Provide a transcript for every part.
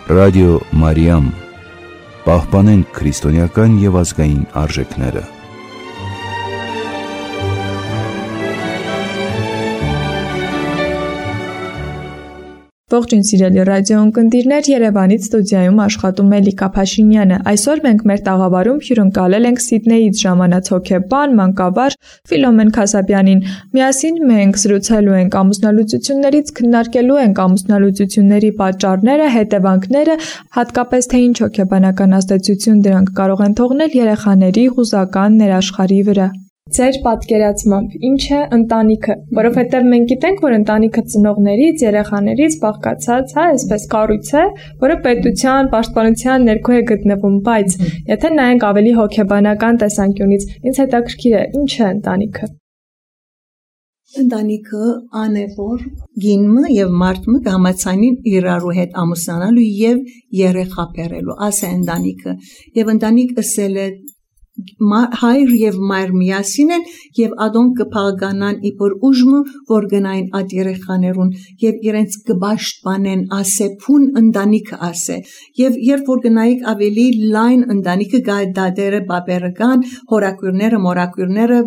Ռադիո Մարիամ, պահպանենք քրիստոնեական և ազգային արժեքները։ Ողջույն սիրելի ռադիոընկերներ, Երևանից ստուդիայում աշխատում է Լիկա Փաշինյանը։ Այսօր մենք մեր տաղավարում հյուրընկալել ենք Սիդնեյից ժամանած հոգեբան, մանկավարժ Ֆիլոմեն Քասաբյանին։ Միասին մենք զրուցելու ենք ամուսնալուծություններից, քննարկելու ենք ամուսնալուծությունների պատճառները, հետևանքները, հատկապես թե ինչ հոգեբանական ազդեցություն դրանք կարող են թողնել երեխաների հուզական ներաշխարհի վրա։ Ձեր պատկերացմամբ ինչ է ընտանիքը, որովհետև մենք գիտենք, որ ընտանիքը ծնողներից, երեխաներից բաղկացած, այսպես կառույց է, որը պետության, պաշտպանության ներքո է գտնվում, բայց եթե նայենք ավելի հոգեբանական տեսանկյունից, ինձ հետաքրքիր է, ինչ է ընտանիքը։ Ընտանիքը անևոր գինը եւ մարդը կհամաձայնին իրարու հետ ամուսնանալու եւ երեխա բերելու, ասե ընտանիքը եւ ընտանիք ասել է հայր եւ մայր միասին են եւ ադոնք կփաղկանան իբր ուժմը որ գնային այդ երեխաներուն եւ իրենց կբաշխանեն ասե փուն ընտանիքը ասե եւ երբ որ գնայիք ավելի լայն ընտանիքը գա դադերը բաբերական հորակուրները մորակուրները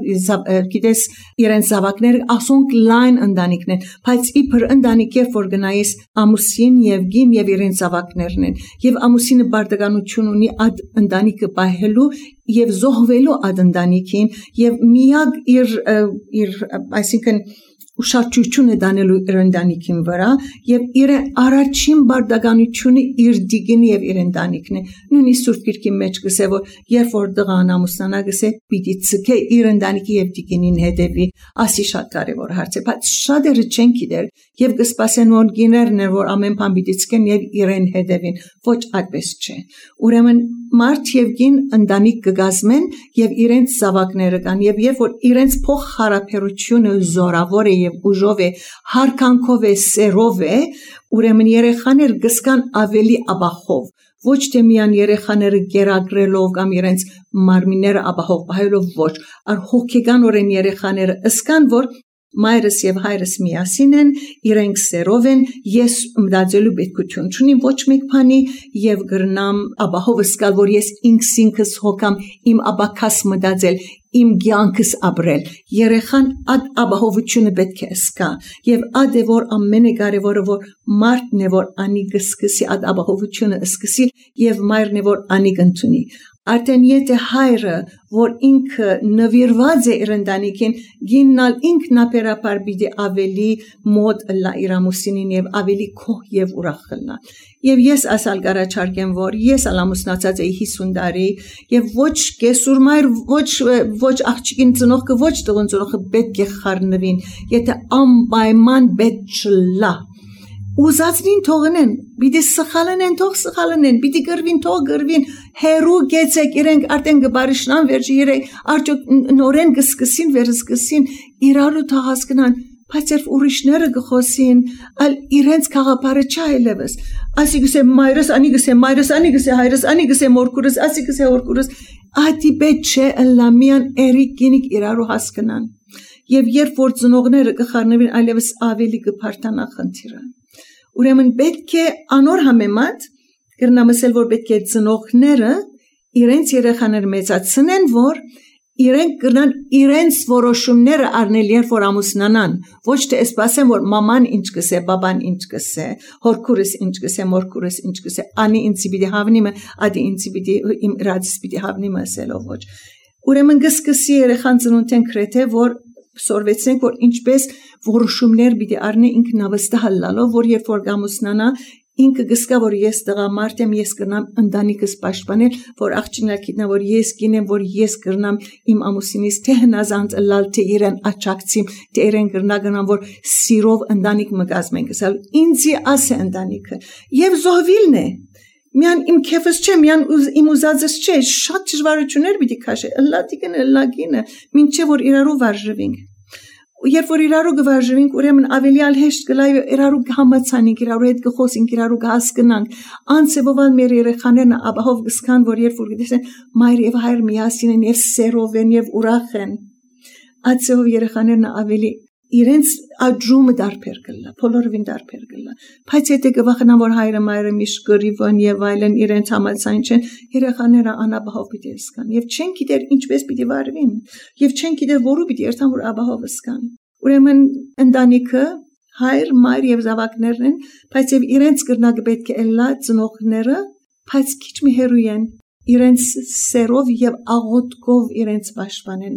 գիտես իրենց զավակները ասոնք լայն ընտանիքն են բայց իբր ընտանիք երբ որ գնայիս ամուսին եւ գին եւ իրենց զավակներն են եւ ամուսինը բարդականություն ունի այդ ընտանիքը պահելու եւ զոհվելու այդ ընտանիքին եւ միակ իր այսինքն ուշադրությունը դանելու իր ընտանիքին վրա եւ իր առաջին բարդականությունը իր դիգին եւ իր ընտանիքն է նույնիսկ Սուրբ Գիրքի մեջ գսե որ երբ որ դղան ամուսնանա գսե պիտի ցկե իր ընտանիքի եւ դիգինին հետեւի ասի շատ կարեւոր հարց է բայց շատերը չեն գիտեր եւ կսպասեն որ գիներն որ ամեն բան պիտի ցկեն եւ իրեն հետեւին ոչ այդպես չէ ուրեմն մարդ եւ գին ընտանիք կգազմեն եւ իրենց զավակները կան եւ երբ որ իրենց փոխհարաբերությունը զորավոր է եւ ուժով է հարկանքով է սերով է ուրեմն երեխաներ գսկան ավելի աբախով ոչ թե միան երեխաները գերագրելով կամ իրենց մարմինները աբախով պահելով ոչ այլ հոգեկանորեն երեխաները ըսկան որ մայրս եւ հայրս միասին են իրենք սերով են ես մտածելու պետքություն չունիմ ոչ մեկ բանի եւ գրնամ աբահով սկալ որ ես ինքս հոգամ իմ աբակաս մտածել իմ ցանկս ապրել երեխան այդ աբահովությունը պետք է սկա եւ այդ է որ ամենակարևորը որ մարդն է որ անի գսկսի այդ աբահովությունը սկսի եւ մայրն է որ անի կընտրի Արդեն եթե հայրը, որ ինքը նվիրված է իր ընտանիքին, գիննալ ինքնաբերաբար պիտի ավելի մոտ լա իր ամուսինին եւ ավելի քոհ եւ ուրախ լա։ Եվ ես ասալ գարաչարկեմ, որ ես ամուսնացած էի 50 տարի եւ ոչ կեսուր մայր, ոչ աղջիկին ծնողքը, ոչ տղուն ծնողքը պետք է խառնվին, եթե անպայման պետք չլա։ Ուզածին թողնեն, պիտի սխալեն թող սխալեն, պիտի գրվին թող գրվին, հերու գեցեք իրենք արդեն գբարիշնան վերջի երեք արդյոք նորեն գսկսին վերսկսին իրարու թաղասկնան, բայց երբ ուրիշները գխոսին, ալ իրենց քաղաքարը չայլևս, ասի գսե մայրս, անի գսե մայրս, անի գսե հայրս, անի գսե մորքուրս, ասի գսե հորքուրս, ադի պետ չէ լամիան էրիկ գինիկ իրարու հասկնան, եւ երբ որ ծնողները կխառնվին այլևս ավելի կփարտանա խնդիրը Ուրեմն պետք է անոր համեմատ կրնամսել որ պետք է ծնողները իրենց երեխաները մեծացնեն որ իրենք կրնան իրենց որոշումները առնել երբ որ ամուսնանան ոչ թե սպասեն որ մաման ինչ կսե բաբան ինչ կսե հորքուրս ինչ կսե մորքուրս ինչ կսե անի ինձ պիտի հավնիմը ադի ինձ պիտի իմ ռադս պիտի հավնիմը ասելով ոչ ուրեմն գսկսի երեխան ծնունդեն քրեթե որ Սորվեցնենք, որ ինչպես որոշումներ պիտի առնի ինքնավստահ լալով, որ երբ որ ամուսնանա, ինքը գսկա, որ ես տղամարդ եմ, ես կրնամ ընտանիքս պաշտպանել, որ աղջիկներ գիտնա, որ ես կինեմ, որ ես կրնամ իմ ամուսինից թե հնազանդ լալ, թե իրեն աչակցիմ, թե իրեն կրնա գնամ, որ սիրով ընտանիք մը կազմենք, ինձի ասե ընտանիքը, եւ զոհվիլն է, Միան իմ քեֆս չէ, միան իմ ուզածս չէ, շատ դժվարություններ պիտի քաշե, ըլլատիկն ըլլագինը, մինչև որ իրարու վարժվենք։ Երբ որ իրարու գվարժվենք, ուրեմն ավելի հեշտ կլա իրարու համացանենք, իրարու հետ կխոսենք, իրարու կհասկանանք։ Անցեվովալ մեր երեխաներն աբահով կսկան, որ երբ որ գիտես մայր եւ հայր միասին են եւ սերով են եւ ուրախ են։ Ացեով երեխաներն ավելի իրենց աջումը դարբեր կլա, բոլորովին դարբեր կլա։ Բայց եթե կվախենան, որ հայրը մայրը միշտ կռիվն եւ այլն իրենց համաձայն չեն, երեխաները անապահով պիտի սկան եւ չեն գիտեր ինչպես պիտի վարվին եւ չեն գիտեր որու պիտի երթան, որ ապահով սկան։ Ուրեմն ընտանիքը հայր, մայր եւ զավակներն են, բայց եւ իրենց կրնակ պետք է լա ծնողները, բայց քիչ մի հեռու են իրենց սերով եւ աղոթքով իրենց պաշտպանեն։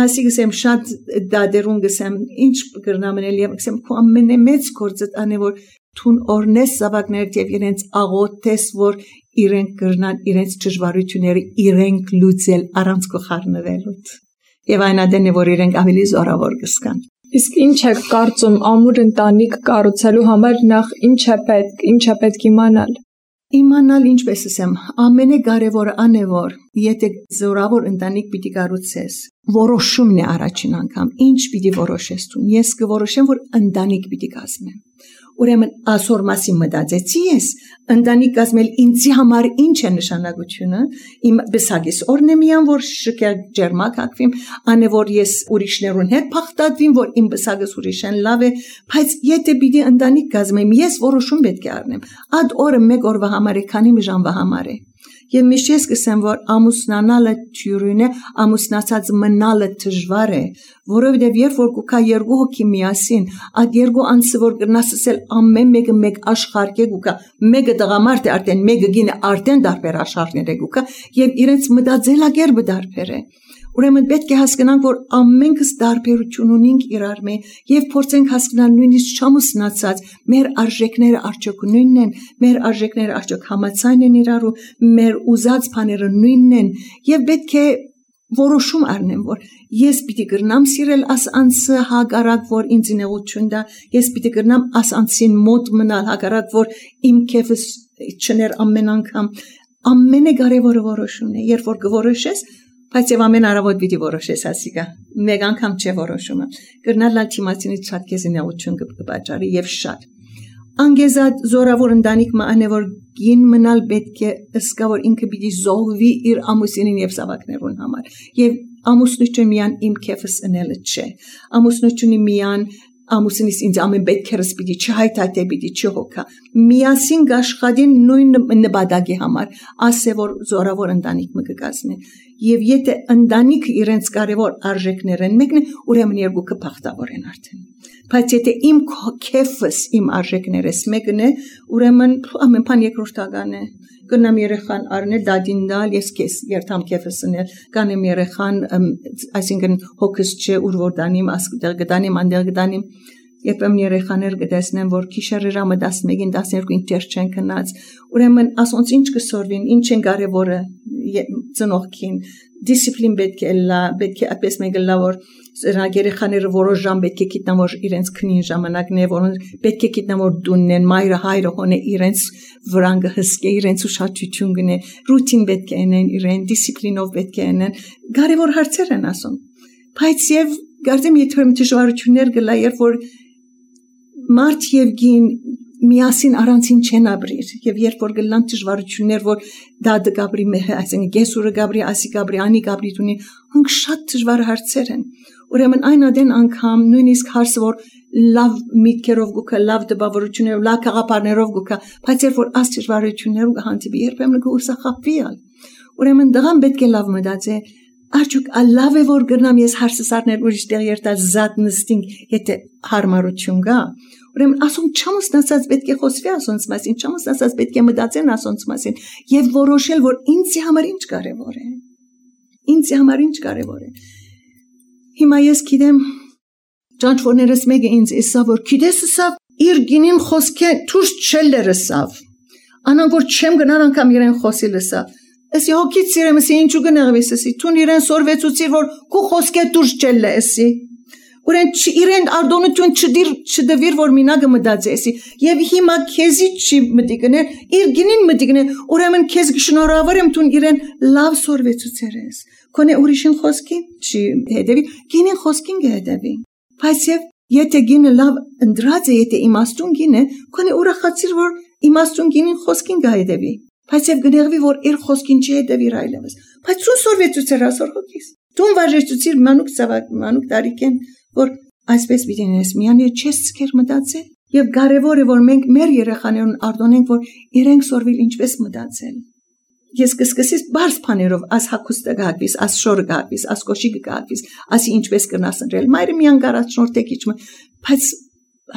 Ասի գսեմ շատ դադերուն գսեմ ինչ կգրնամնել եւ գսեմ քո ամենամեծ գործը անը որ թուն օրնես զավակներ եւ իրենց աղոթես որ իրենք կրնան իրենց ճշվարությունները իրենք լուծել առանց կխառնվելուց եւ այն ադեն է որ իրենք ավելի զորավոր կսկան։ Իսկ ինչ է կարծում ամուր ընտանիք կառուցելու համար նախ ինչ է պետք իմանալ։ Իմանալ ինչպես ասեմ, ամենակարևորը ան է որ եթե զորավոր ընտանիք պիտի կառուցես, որոշումն է առաջին անգամ, ինչ պիտի որոշես դու։ Ես կորոշեմ որ ընտանիք պիտի կազմեմ։ Ուրեմն ասոր մասի մտածեցի ես, ընտանիք կազմել ինձի համար ինչ է նշանակությունը, իմ բսագիս օրնեմիան որ շքեր ջերմակ հակվիմ, անը որ ես ուրիշներուն հետ փախտատվիմ, որ իմ բսագս ուրիշեն լավ է, բայց եթե պիտի ընտանիք կազմեմ, ես որոշում պետք է առնեմ։ Ադ օրը մեկ օրվա համար է, քանի մի ժամվա համար է։ Եվ միշտ ես կսեմ, որ ամուսնանալը թյուրին է, ամուսնացած մնալը դժվար է, որովհետև երբ որ կուքա երկու հոգի միասին, այդ երկու անձը որ կրնաս ասել ամեն մեկը մեկ աշխարհ է գուքա, մեկը տղամարդ է արդեն, մեկը գինը արդեն դարբեր աշխարհներ է գուքա, եւ իրենց մտածելակերպը դարբեր է։ Ուրեմն պետք է հասկանանք, որ ամենքս դարբերություն ունենք իրար մեջ եւ փորձենք հասկանալ նույնիսկ չամուսնացած մեր արժեքները արդյոք նույնն են, մեր արժեքները արդյոք համաձայն են իրարու, մեր ուզած բաները նույնն են եւ պետք է որոշում առնեմ, որ ես պիտի կրնամ սիրել աս անձը հագարակ, որ ինձ նեղություն դա, ես պիտի կրնամ աս անձին մոտ մնալ հագարակ, որ իմ քեֆս չներ ամեն անգամ, ամենակարևորը որոշումն է, երբ որ կորոշես Բայց եւ ամեն առավոտ պիտի որոշես ասիկա։ Մեկ անգամ չէ որոշումը։ Կրնալ լալ թիմացինից շատ կեզինեղություն կպաճառի եւ շատ։ Անգեզատ զորավոր ընտանիք մանե որ գին մնալ պետք է ըսկա որ ինքը պիտի զոհվի իր ամուսինին եւ զավակներուն համար։ Եվ ամուսնությունը միան իմ քեֆս ընելը չէ։ Ամուսնությունը միան ամուսինիս ինձ ամեն պետքերս պիտի չհայթայթե պիտի չհոգա միասին գաշխատին նույն նպատակի համար ասե որ զորավոր ընտանիք մը կկազմի եւ եթե ընտանիքը իրենց կարևոր արժեքներն մեկն է ուրեմն երկուքը փախտավոր են արդեն բայց եթե իմ քեֆս իմ արժեքներս մեկն է ուրեմն ամեն բան երկրորդական է կնամ երեխան առնել դադին դալ ես քեզ երթամ քեֆս ընել կանեմ երեխան այսինքն հոգս չէ ուր որ դանիմ ասկտեղ գտանիմ անդեղ գտանիմ Երբ երեխաներ կտեսնեն, որ քիշերերը 11-ին 12-ին տեր չեն քնած, ուրեմն ասոնց ինչ կսորվին, ինչ են կարևորը ծնողքին, դիսցիպլին պետք է լա, պետք է այդպես մեկը լա, որ երեխաները որոշ ժամ պետք է գիտնան, որ իրենց քնին ժամանակն է, որոնց պետք է գիտնան, որ դունն են, մայրը հայրը հոնե իրենց վրան կհսկե, իրենց ուշադրություն գնե, ռուտին պետք է անեն, իրեն դիսցիպլինով պետք է անեն, կարևոր հարցեր են ասում։ Բայց եւ գարդեմ եթե դժվարություններ գլա, երբ որ Մարդ եւ գին միասին առանցին չեն ապրիր եւ երբ որ գլան դժվարություններ որ դադը գաբրի այսինքն գեսուրը գաբրի ասի գաբրի անի գաբրի դունի հնք շատ դժվար հարցեր են ուրեմն այն ադեն անգամ նույնիսկ հարցը որ լավ միտքերով գուքա լավ դպավորություններով լավ խաղապարներով գուքա բայց երբ որ աս դժվարություններով կհանդիպի երբեմն կուսախապվի ուրեմն դղան պետք է լավ մտածե Արդյոք լավ է որ գրնամ ես հարցս առնել ուրիշ տեղ երտալ զատ նստինք եթե հարմարություն կա ուրեմն ասում չամուսնացած պետք է խոսվի ասոնց մասին չամուսնացած պետք է մտածեն ասոնց մասին եւ որոշել որ ինձի համար ինչ կարեւոր է ինձի համար ինչ կարեւոր է հիմա ես գիտեմ ճանչվորներս մեկը ինձ ասա որ գիտես ասա իր գինին խոսքը դուրս չելերսավ անան որ չեմ գնալ անգամ իրեն խոսի լսա Esi hokit siremesi ինչու գնեղվեսի տուն իրեն սորվեցուցիր որ քո խոսքը դուրս չելը էսի ուրեն իրեն արդոնություն չդվիր որ մինագը մտածեսի եւ հիմա քեզի չի մտիկներ իր գինին մտիկներ ուրեմն քեզ շնորհավորեմ տուն իրեն լավ սորվեցուցերես քոնե ուրիշին խոսքի չի հետեւի գինին խոսքին գետեւի բայց եթե գինը լավ ընդրած է եթե իմաստուն գին է քոնե ուրախացիր որ իմաստուն գինին խոսքին գետեւի Բայց եւ գնեղվի որ իր խոսքին չի հետևիր այլևս բայց ցուն սորվեցուցեր ասոր հոգիս տուն վարժեցուցիր մանուկ ծավակ մանուկ տարիքեն որ Այսպես պիտի նես միան եւ չես ցկեր մտածել եւ կարեւոր է որ մենք մեր երեխաներուն արտոնենք որ իրենք սորվիլ ինչպես մտածել ես կսկսես բարձ բաներով աս հակուստը գահվիս աս շորը գահվիս աս կոշիկը գահվիս ասի ինչպես կնաս ընտրել մայրը միան գարաչնորտեք իջմը բայց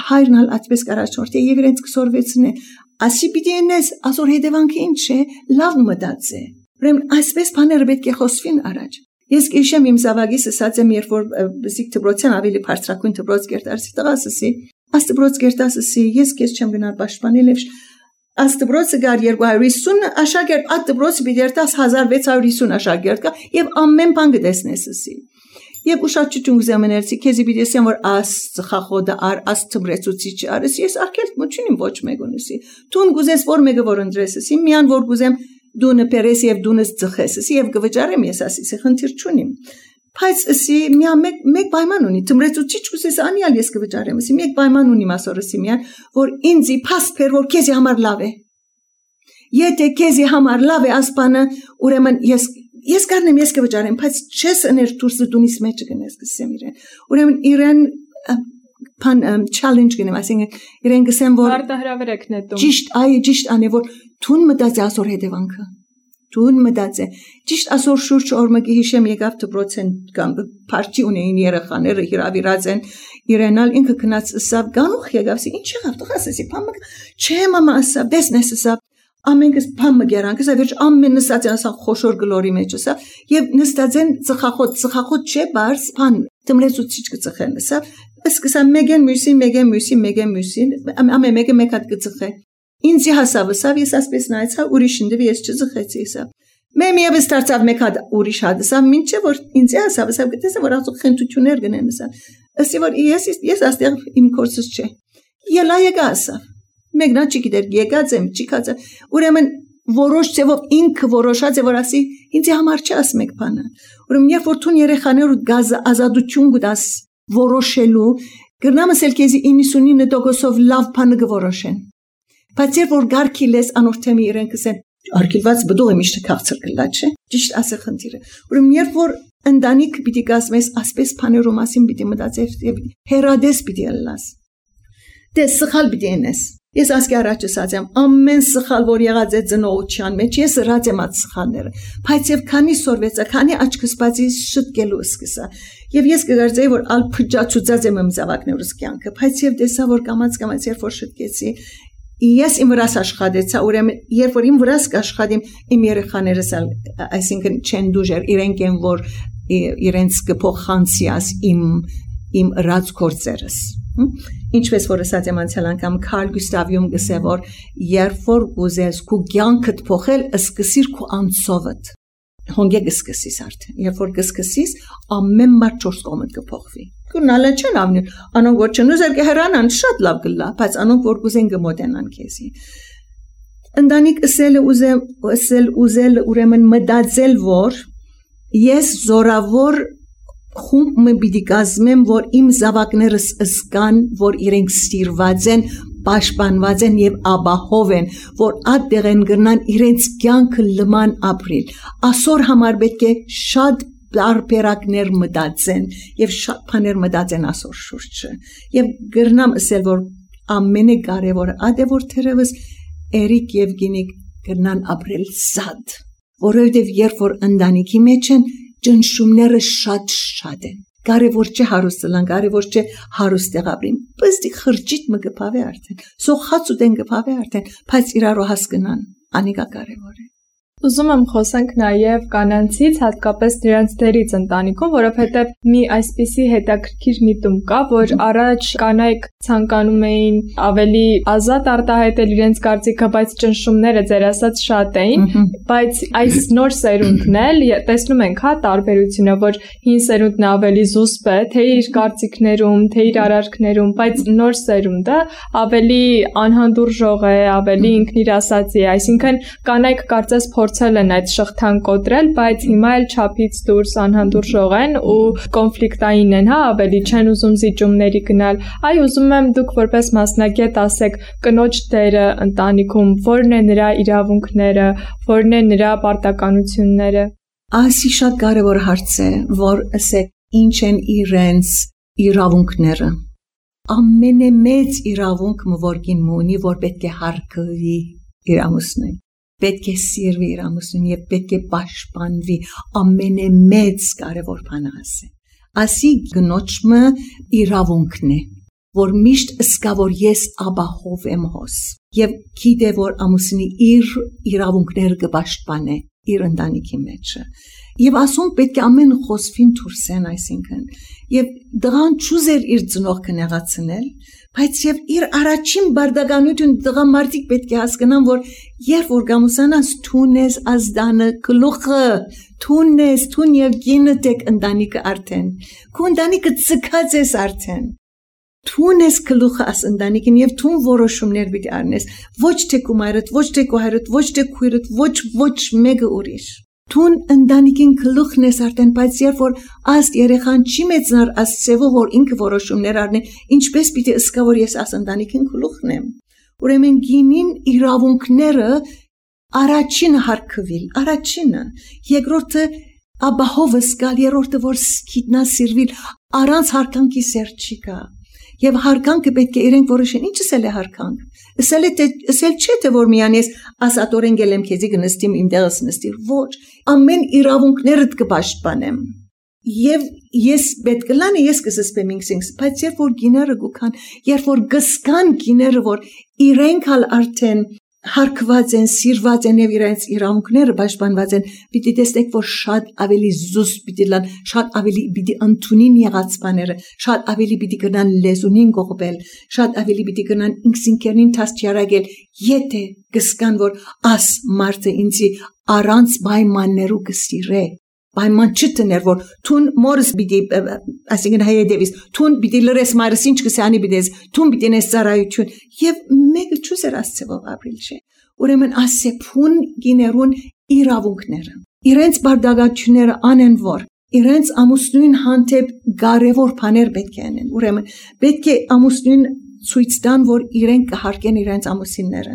հայրնալ այդպես գարաչնորտե եւ իրենց կսորվեցնե ասի պիտի նես ասոր հետևանքը ինչ է լավ մտածե ուրեմն այսպես բաները պետք է խոսվին առաջ ես քիշեմ իմ զավակիս ասած եմ երբ որ բզիկ դբրոցյան ավելի բարձրակույն դբրոց կերտարսի տղասի աս դբրոց կերտասի ես քեզ չեմ գնալ պաշտպանել եւ Աստբրոցը գար 250 աշակերտ at դբրոցը բիդերտաս 1650 աշակերտ կա եւ ամեն բան գտեսնեսի եւ ուշադրություն գզամներցի քեզի բիդեսեմ որ աս ծխախոդը ար աս թմրեցուցիչ արս ես արկել մոչունին ոչ մեգունսի տուն գուզես որ մեգը որ ընդրեսի միան որ գուզեմ դունը պերես եւ դունս ծխեսի եւ գվճարեմ ես ասի խնդիր չունիմ բայց ասի միա մեկ պայման ունի թմրեցուցիչ գուզես անիալ ես գվճարեմ ասի մեկ պայման ունի մասորսի միան որ ինձի փաստ փեր որ քեզի համար լավ է եթե քեզի համար լավ է ասպանը ուրեմն ես կարնեմ ես կվճարեմ բայց չես ներ դուրսը դունիս մեջ գնես գսեմ իրեն ուրեմն իրեն pan challenge գնեմ այսինքն իրեն գսեմ որ արտահրավերեք նետում ճիշտ անե որ թուն մտածի ասոր հետևանքը Տուն մտածե ճիշտ ասոր շուրջ օրմակի հիշեմ եկավ դպրոցեն կամ փարչի ունեին երեխաները հիրավիրած են իրենալ ինքը քնած սավ գանուխ եկավ ինչ եղավ տղասի փամը չէ մամա ասա դեսնես ասա ամենքս փամը գերանք ասա վերջ ամեն նստած ասա խոշոր գլորի մեջ ասա եւ նստած են ծխախոտ չէ բարձ փան դմլեցուցիչ կծխեն ասա սկսա մեգեն մյուսին ամեն մեկը մեկ հատ կծխե Ինձի հասավսավ ես ասպես նայեցա ուրիշին դեպ ես չծխեցի սա Մեմ եւս դարձավ մեկ հատ ուրիշ հատ սա ինչե որ ինձի հասավսավ գտեսա որ ասող խնդություններ գնեն սա ասի որ ես աստեղ իմ կորսս չէ ելա եկա ասա մեկնա չգիտեր եկած եմ չիկած ուրեմն որոշ ձևով ինքը որոշած է որ ասի ինձի համար չաս մեկ բանը ուրեմն երբ որ թուն երեխաներու գազ ազատություն գտաս որոշելու գրնամսել քեզի 99%-ով լավ բանը գորոշեն Բայց երբ որ գարքի լես անորթեմի իրեն կսեն արկիլված բդող է միշտ քաղցր կլա չէ ճիշտ ասը խնդիրը ուրեմն երբ որ ընտանիք պիտի կազմես ասպես բաներու մասին պիտի մտածես եւ հերադես պիտի ելնաս դե սխալ պիտի ենես ես ասկի առաջ ասած եմ ամեն սխալ որ եղած է ծնողության մեջ ես հրած եմ այդ սխալները բայց եւ քանի սորվեցա քանի աչքս բացի շտկելու սկսա եւ ես կգարձեի որ ալ փճացուցած եմ զավակներուս կյանքը բայց եւ տեսա որ կամած երբ որ շտկեցի Ես իմ վրաս աշխատեցա, ուրեմն երբ որ իմ վրաս կաշխատեմ իմ երեխաներս այսինքն չեն դուժեր իրենք են որ իրենց կփոխանցիաս իմ ռած կորցերս ինչպես որ ասած եմ անցյալ անգամ Կարլ Գուստավյում գսե որ երբ որ ուզես քու կյանքդ փոխել սկսիր քու անցովդ հոնգե գսկսիս արդեն երբ որ գսկսիս ամեն մարդ 4 կողմդ կփոխվի Կնալը չեն ավնի անոնք որ չնուզեր կհրանան շատ լավ գլա բայց անոնք որ կուզեն գմոտենան քեզի ընտանիք ուզել ուրեմն մտածել որ ես զորավոր խումբ մը պիտի կազմեմ որ իմ զավակներս ըսկան որ իրենք սիրված են պաշտպանված են եւ աբահով են որ այդտեղ են գնան իրենց կյանքը լման ապրիլ ասոր համար պետք է շատ Տարբերակներ մտածեն եւ շատ բաներ մտածեն ասոր շուրջը եւ գրնամ ասել որ ամենակարևորը այդ է որ թերևս Էրիկ եւ Գինիկ գրնան ապրել զատ որովհետեւ երբ որ ընտանիքի մեջ են ճնշումները շատ են կարևոր չէ հարուստլան կարևոր չէ հարուստեղ ապրին բստի խրճիտ մը գփավե արդեն սոխած ու դեն գփավե արդեն բայց իրարու հասկնան անիկա կարևոր է Ուզում եմ խոսենք նաև կանանցից, հատկապես դրանց դերից ընտանիքում, որովհետև մի այսպիսի հետաքրքիր միտում կա, որ առաջ կանայք ցանկանում էին ավելի ազատ արտահայտել իրենց կարծիքը, բայց ճնշումները ձեր ասած շատ էին, բայց այս նոր սերունդն էլ տեսնում ենք, հա, տարբերությունը, որ հին սերունդն ավելի զուսպ է, թե իր կարծիքներում, թե իր արարքներում, բայց նոր սերունդը ավելի անհանդուրժող է, ավելի ինքնիրասացի է, այսինքն կանայք կարծես փորձել են այդ շղթան կոտրել, բայց հիմա էլ չափից դուրս անհանդուրժող են ու կոնֆլիկտային են, հա, ավելի չեն ուզում զիջումների գնալ։ Այ ուզում եմ դուք որպես մասնագետ ասեք կնոջ դերը ընտանիքում, որն է նրա իրավունքները, որն է նրա պարտականությունները։ Այսի շատ կարևոր հարց է, որ ասեք ինչ են իրենց իրավունքները ամենամեծ իրավունքը որ կինը ունի որ պետք է հարգվի իր ամուսնուն պետք է սիրվի իր ամուսնուն եւ պետք է պաշտպանվի ամենամեծ կարևոր բանը ասի գնոջը իրավունքն է որ միշտ ըսկա որ ես աբահով եմ հոս եւ գիտե որ ամուսնի իր իրավունքները կպաշտպանե իր ընտանիքի մեջը եւ ասում պետք է ամեն խոսվին թուրսեն այսինքն եւ դղան ճուզեր իր ծնողքը նեղացնել բայց եւ իր առաջին բարդականություն դղամարտիկ պետք է հասկանան որ երբ որ գամուսանաս թունես ազդանը գլուխը թունես թուն եւ գինը տեք ընտանիքը արդեն քո ընտանիքը ցկած ես արդեն Թունես գլուխը աս ընտանիքին եւ թուն որոշումներ պիտի առնես ոչ թե կումարդ ոչ թե կոհարդ ոչ թե քույրդ ոչ մեկը ուրիշ Թուն ընտանիքին գլուխն ես արդեն բայց երբ որ աստ երեխան չի մեծնար ասծեվը որ ինքը որոշումներ առնի ինչպես պիտի ըսկա որ ես աս ընտանիքին գլուխն եմ ուրեմն գինին իրավունքները առաջին հարկվել առաջինը երկրորդը աբահով ըսկալ երրորդը որ գիտնա սիրվել առանց հարկանքի սեր չի կա Եվ հարկանքը պետք է իրենք որոշեն ինչս էլ է հարկանք Ասել չէ թե որ միան ես ասատորեն գելեմ քեզի գնստիմ իմ տեղս նստիր ոչ ամեն իրավունքներդ կպաշտպանեմ Եվ ես պետք է լանը ես կսսպեմ ինքսինքս բայց երբ որ գիները գուքան երբ որ գսկան գիները որ իրենք հալ արդեն հարկված են սիրված են եւ իրենց իրավունքները պաշտպանված են պիտի տեսնեք որ շատ ավելի զուսպ պիտի լան շատ ավելի պիտի ընդունին եղած բաները շատ ավելի պիտի գնան լեզունին գողբել շատ ավելի պիտի գնան ինքսինքերին տասճարագել եթե գսկան որ աս մարդը ինձի առանց պայմաններու կսիրե Պայման չտներ որ թուն մորս պիտի ասինքն հայեդեվիս թուն պիտի լրես մարս ինչ կսանի պիտես թուն պիտի նես ծառայություն եւ մեկը չուզեր ասծեվով ապրիլ չէ ուրեմն ասե փուն գիներուն իրավունքները իրենց բարդագությունները անեն որ իրենց ամուսնույն հանդեպ կարևոր բաներ պետք է անեն ուրեմն պետք է ամուսնույն ցույց տան որ իրենք կհարգեն իրենց ամուսինները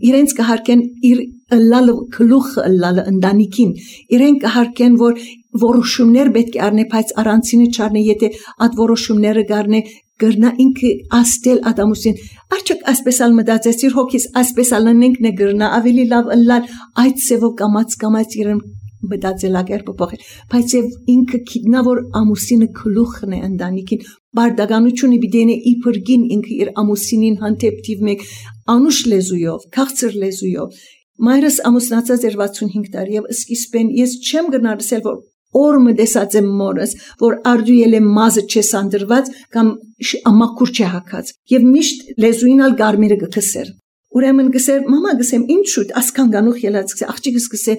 իրենց կհարկեն իր լալը գլուխը լալը ընտանիքին իրենք կհարկեն որ որոշումներ պետք է առնե բայց առանցինը չառնե եթե այդ որոշումները գարնե գրնա ինքը աստել ադամուսին արդյոք ասպես ալ մտածեցիր հոգիս ասպես ալ նենք նե գրնա ավելի լավ լալ այդ սևով կամած իրեն մտածելակերպը փոխել բայց եւ ինքը գիտնա որ ամուսինը գլուխն է ընտանիքին բարդականությունը պիտի իբր գին ինքը իր ամուսինին հանդեպ թիվ մեկ անուշ լեզույով քաղցր լեզույով մայրս ամուսնացած էր 65 տարի եւ սկիզբեն ես չեմ գնարսել որ օրը դեսած եմ մորս որ արդյել է մազը չեսանդրված կամ ամակուր չհակած եւ միշտ լեզուինալ գարմերը գտսեր ուրեմն գսեր մամա գսեմ ինչու ասքան գանուխ ելած գսե աղջիկս գսե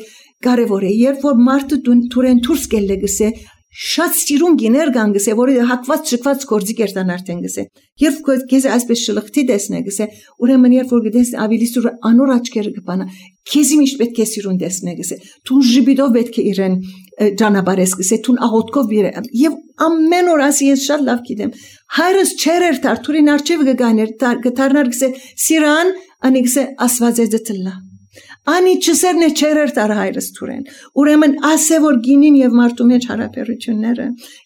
կարևոր է երբ որ մարդը դուրեն դուրս գելը գսե շատ սիրուն գիներ կան գսե որը հակված շկված գործի կերտան արդեն գսե երբ քեզ այսպես շլխտի տեսնե գսե ուրեմն երբ որ գտես ավելի սուր անոր աչքերը կփանա քեզի միշտ պետք է սիրուն տեսնե գսե թուն ժիբիդով պետք է իրեն ճանապարհես գսե թուն աղոտքով եւ ամեն օր ասի ես շատ լավ գիտեմ հայրս չեր Թարթուրին արչեվ գաներ գտարնար գսե սիրան անի գսե ասված է դտլա Անի չսերն է չերեր տար հայրս թուրեն ուրեմն ասե որ գինին եւ մարդու մեջ հարաբերությունները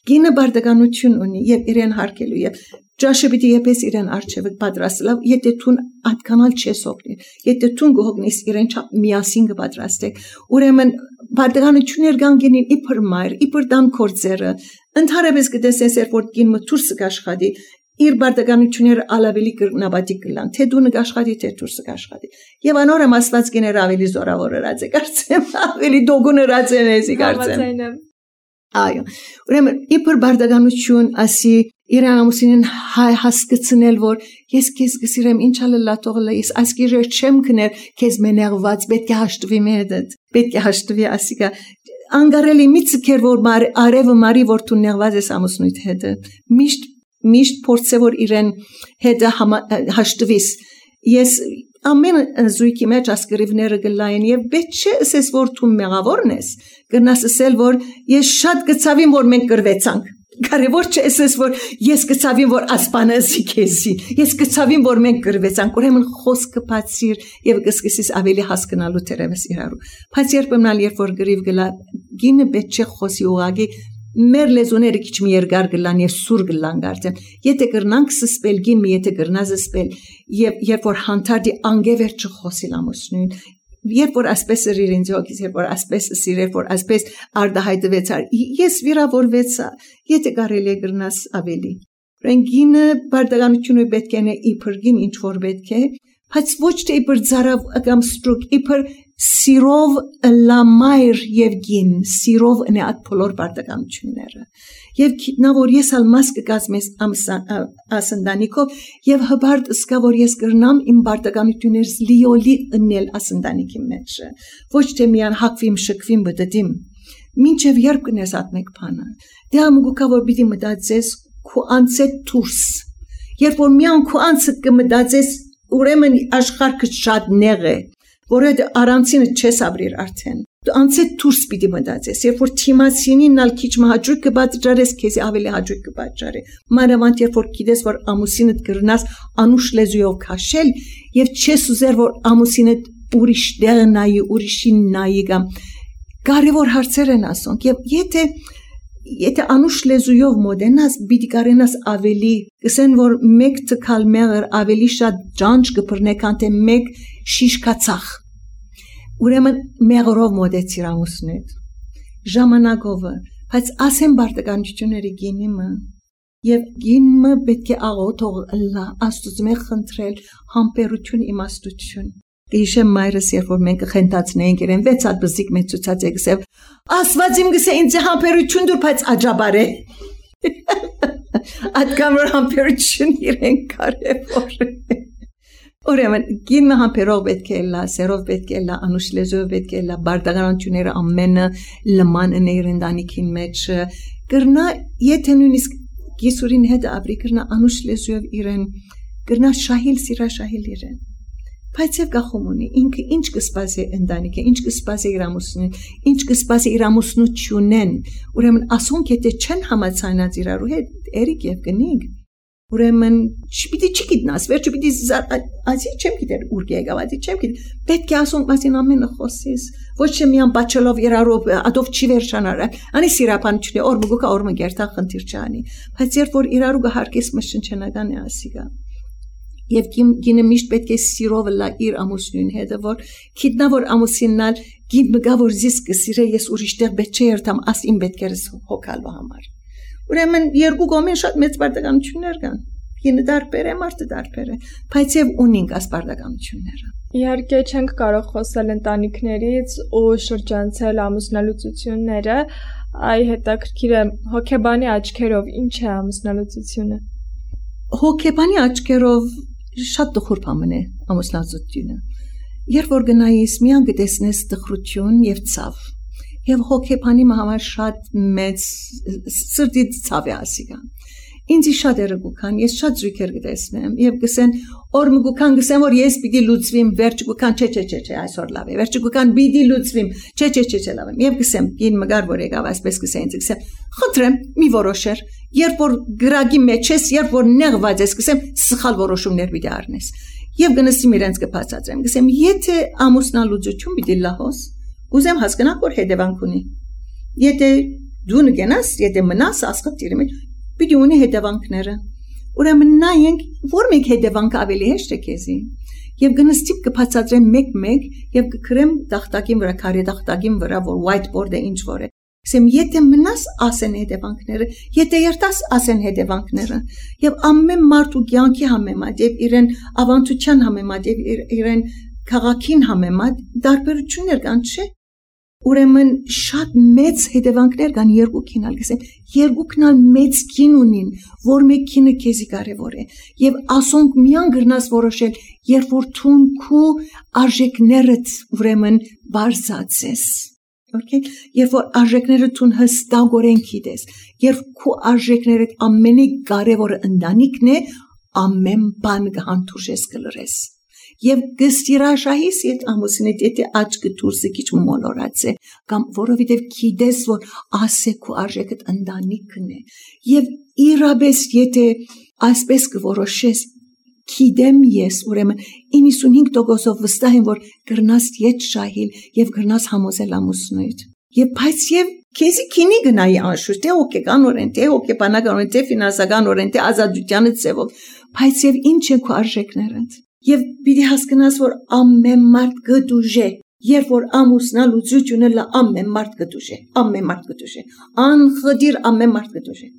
գինը բարդականություն ունի եւ իրեն հարկելու եւ ճաշը պիտի եպես իրեն արչեվը պատրաստել եթե թուն այդքանալ չես օգնի եթե թուն գողնես իրեն չափ միասին կպատրաստեք ուրեմն բարդականություններ կան գինին իբր մայր իբր տան կորձերը ընդհանրապես կտեսես որ գինը թուրսը կաշխատի իր բարդականությունները ալավելի կրնաբատի կլան թե դու նկաշխատի թե դուրսը կաշխատի եւ անորը մասված գիներ ավելի զորավոր ըրած է կարծեմ ավելի դոգուն ըրած է մեզի կարծեմ այո ուրեմն իբր բարդականություն ասի իր ամուսինին հասկացնել որ ես քեզ գսիրեմ ինչ ալլա թողլա ես ասկիրը չեմ կներ քեզ մենեղված պետք է հաշտվի մեդդ պետք է հաշտվի ասիկա անգարելի միցքեր որ արևը մարի որ դու նեղված ես ամուսնույթ հետ միշտ փորձե որ իրեն հետը հաշտվիս ես ամեն զույգի մեջ ասկրիվները գլային եւ պետք չէ ասես որ դու մեղավորն ես գնաս ասել որ ես շատ գծավին որ մենք կրվեցանք կարևոր չէ ասես որ ես գծավին որ ասպանազի քեզի ես գծավին որ մենք կրվեցանք ուրեմն խոսքը բացիր եւ կսկսես ավելի հասկանալու թերևս իրարու բայց երբեմն երբ որ գրիվ գլա գինը պետք չէ խոսի ուղագի մեր լեզուները քիչ մի երկար գլան եւ սուր գլան գարտեն եթե կրնանք սսպել գին եթե կրնա զսպել եւ երբ որ հանդարտի անգևեր չխոսիլ ամուսնուն երբ որ ասպես իրենց հոգիս երբ որ ասպես սիրեր որ ասպես արդահայտվեցար ես վիրավորվեցա եթե կարելի է կրնաս ավելի ռենգինը բարդականությունը պետք է իբր գին ինչ որ պետք է բայց ոչ թե իբր ծարավ կամ ստրուկ իբր սիրով լամայր եւ գին սիրով նեատ բոլոր բարդականությունները եւ գիտնա որ ես ալ մաս կկազմես ասնդանիկով եւ հբարդ սկա որ ես կրնամ իմ բարդականություններս լիոլի ըննել ասնդանիկի մեջ ոչ թե միան հակվիմ շկվիմ բդդիմ մինչեւ երբ կնես at մեկ բանը դե ամուկա որ պիտի մտածես քու անցե դուրս երբ որ միան քու անցը կմտածես ուրեմն աշխարհը շատ նեղ է որը առանցինը չես ապրիր արդեն դու անցե դուրս պիտի մտածես երբ որ թիմացինին ալ քիչ մահաճույք կբաճարես քեզ ավելի հաճույք կբաճարի մանավանդ երբ որ գիտես որ ամուսինդ կրնաս անուշ լեզուով քաշել եւ չես ուզեր որ ամուսինդ ուրիշ դեղ նայի ուրիշին նայի կամ կարևոր հարցեր են ասոնք եւ եթե անուշ լեզուով մոդենաս պիտի կարենաս ավելի կսեն որ մեկ տկալ մեղր ավելի շատ ջանջ կբռնե քան թե մեկ շիշկացախ ուրեմն մեղրով մոդեցիր ամուսնուդ ժամանակով բայց ասեն բարդականությունների գինիմը եւ գինը պետք է աղոթող լա աստուծմե խնդրել համբերություն իմաստություն Իշեմ մայրս երբ որ մենք խենթացնեինք իրեն 6 հատ բզիկ մեծ ցուցած եկսև ասված իմ գսե ինձ համբերություն դուր բայց աջաբար է Ատկամ որ համբերություն իրեն կարևոր Ուրեմն գինը համբերող պետք է լա սերով պետք է լա անուշ լեզուով պետք է լա բարդականությունները ամենը լման են իրենտանիքին մեջ կրնա եթե նույնիսկ գիսուրին հետ ապրի կրնա անուշ լեզուով իրեն կրնա շահիլ սիրաշահիլ իրեն Բայց եւ գախում ունի ինքը ինչ կսպասի ընտանիքը ինչ կսպասի իր ամուսնուն ինչ կսպասի իր ամուսնությունեն ուրեմն ասոնք եթե չեն համացանած իրարու հետ երիկ եւ կնիկ ուրեմն չպիտի չգիտնաս վերջը պիտի ասի չեմ գիտեր ուր եկավ ասի չեմ գիտեր պետք է ասոնք մասին ամենը խոսես ոչ թե միան բաչելով իրարու ադով չի վերջանար անի սիրապանությունը օրմուկա օրմը գերտա խնդիր չանի բայց երբ որ իրարու գահարկես մշնչնական է ասիգա Եվ գինը միշտ պետք է սիրով լա իր ամուսնուն հետը որ գիտնա որ ամուսիննալ գին մգա որ զիս կսիրե ես ուրիշտեղ պետք չէ երթամ աս իմ պետքերս հոգալու համար ուրեմն երկու կողմեն շատ մեծ բարդականություններ կան գինը դարբեր է մարդը դարբեր է բայց եւ ունենք աս բարդականությունները Իհարկե չենք կարող խոսել ընտանիքներից ու շրջանցել ամուսնալուծությունները այ հետաքրքիր է հոգեբանի աչքերով ինչ է ամուսնալուծությունը հոգեբանի աչքերով շատ տխուր բան է ամուսնալուծությունը երբ որ գնայիս միան գտեսնես տխրություն եւ ցավ եւ հոգեբանի համար շատ մեծ սրտի ցավ է ասիգան ինձ շատ երգուքան ես շատ զույգեր գտեսնեմ եւ գսեն օրմուկան գսեն որ ես պիտի լուծվիմ վերջուկան չէ այսօր լավ է վերջուկան պիտի լուծվիմ չէ լավ եմ եւ գսեմ ին մգար որ եկավ այսպես գսեն ինձ գսեմ խնդրեմ մի որոշեր երբ որ գրագի մեջ ես երբ որ նեղված ես գսեմ սխալ որոշումներ պիտի առնես եւ գնացիմ իրենց կբացատրեմ գսեմ եթե ամուսնալուծություն պիտի լահոս ուզեմ հասկանալ որ հետևանք ունի եթե դու նգենաս եթե մնաս ասխտիրի մեջ Պիտի ունի հետևանքները ուրեմն նայենք որ մեկ հետևանք ավելի հեշտ է քեզի եւ գնստիպ կբացատրեմ մեկ եւ կգրեմ տախտակին վրա քարե տախտակին վրա որ whiteboard-ը ինչ որ է ասեմ եթե մնաս ասեն հետևանքները եթե երտաս ասեն հետևանքները եւ ամեն մարդու կյանքի համեմատ եւ իրեն ավանդության համեմատ եւ իրեն քաղաքին համեմատ դարբերություններ կան չէ Ուրեմն շատ մեծ հետևանքներ կան երկուքին ալ գսեն երկուքն մեծ քին ունին որ մեկինը քեզի կարևոր է եւ ասոնք միան գրնաս որոշել երբ որ թուն քու արժեքներդ ուրեմն բարձացես Okay երբ որ արժեքները թուն հստակորեն գիտես երբ քու արժեքներդ ամենակարևորը ընտանիքն է ամեն բան կհանդուրժես կլրես Եվ գստիրաշահիս իդ ամուսինդ եթե աչքը դուրսը քիչ մոլորած է կամ որովհետև գիտես որ ասեքու արժեքդ ընտանիքն է եւ իրապես եթե այսպես կորոշես գիտեմ ես ուրեմն 95%-ով վստահ եմ որ գրնաս իդ շահիլ եւ գրնաս համոզել ամուսնուդ եւ բայց եւ քեզի քինի գնայի անշուշտ, թե հոգեկանորեն, թե հոգեբանականորեն, թե ֆինանսականորեն, թե ազատության ձևով, բայց եւ ինչ են քո արժեքները։ Եվ պիտի հասկանաս, որ ամեն մարդ գդուժե, երբ որ ամուսնալուծությունը լա ամեն մարդ գդուժե, անխդիր ամեն մարդ գդուժե։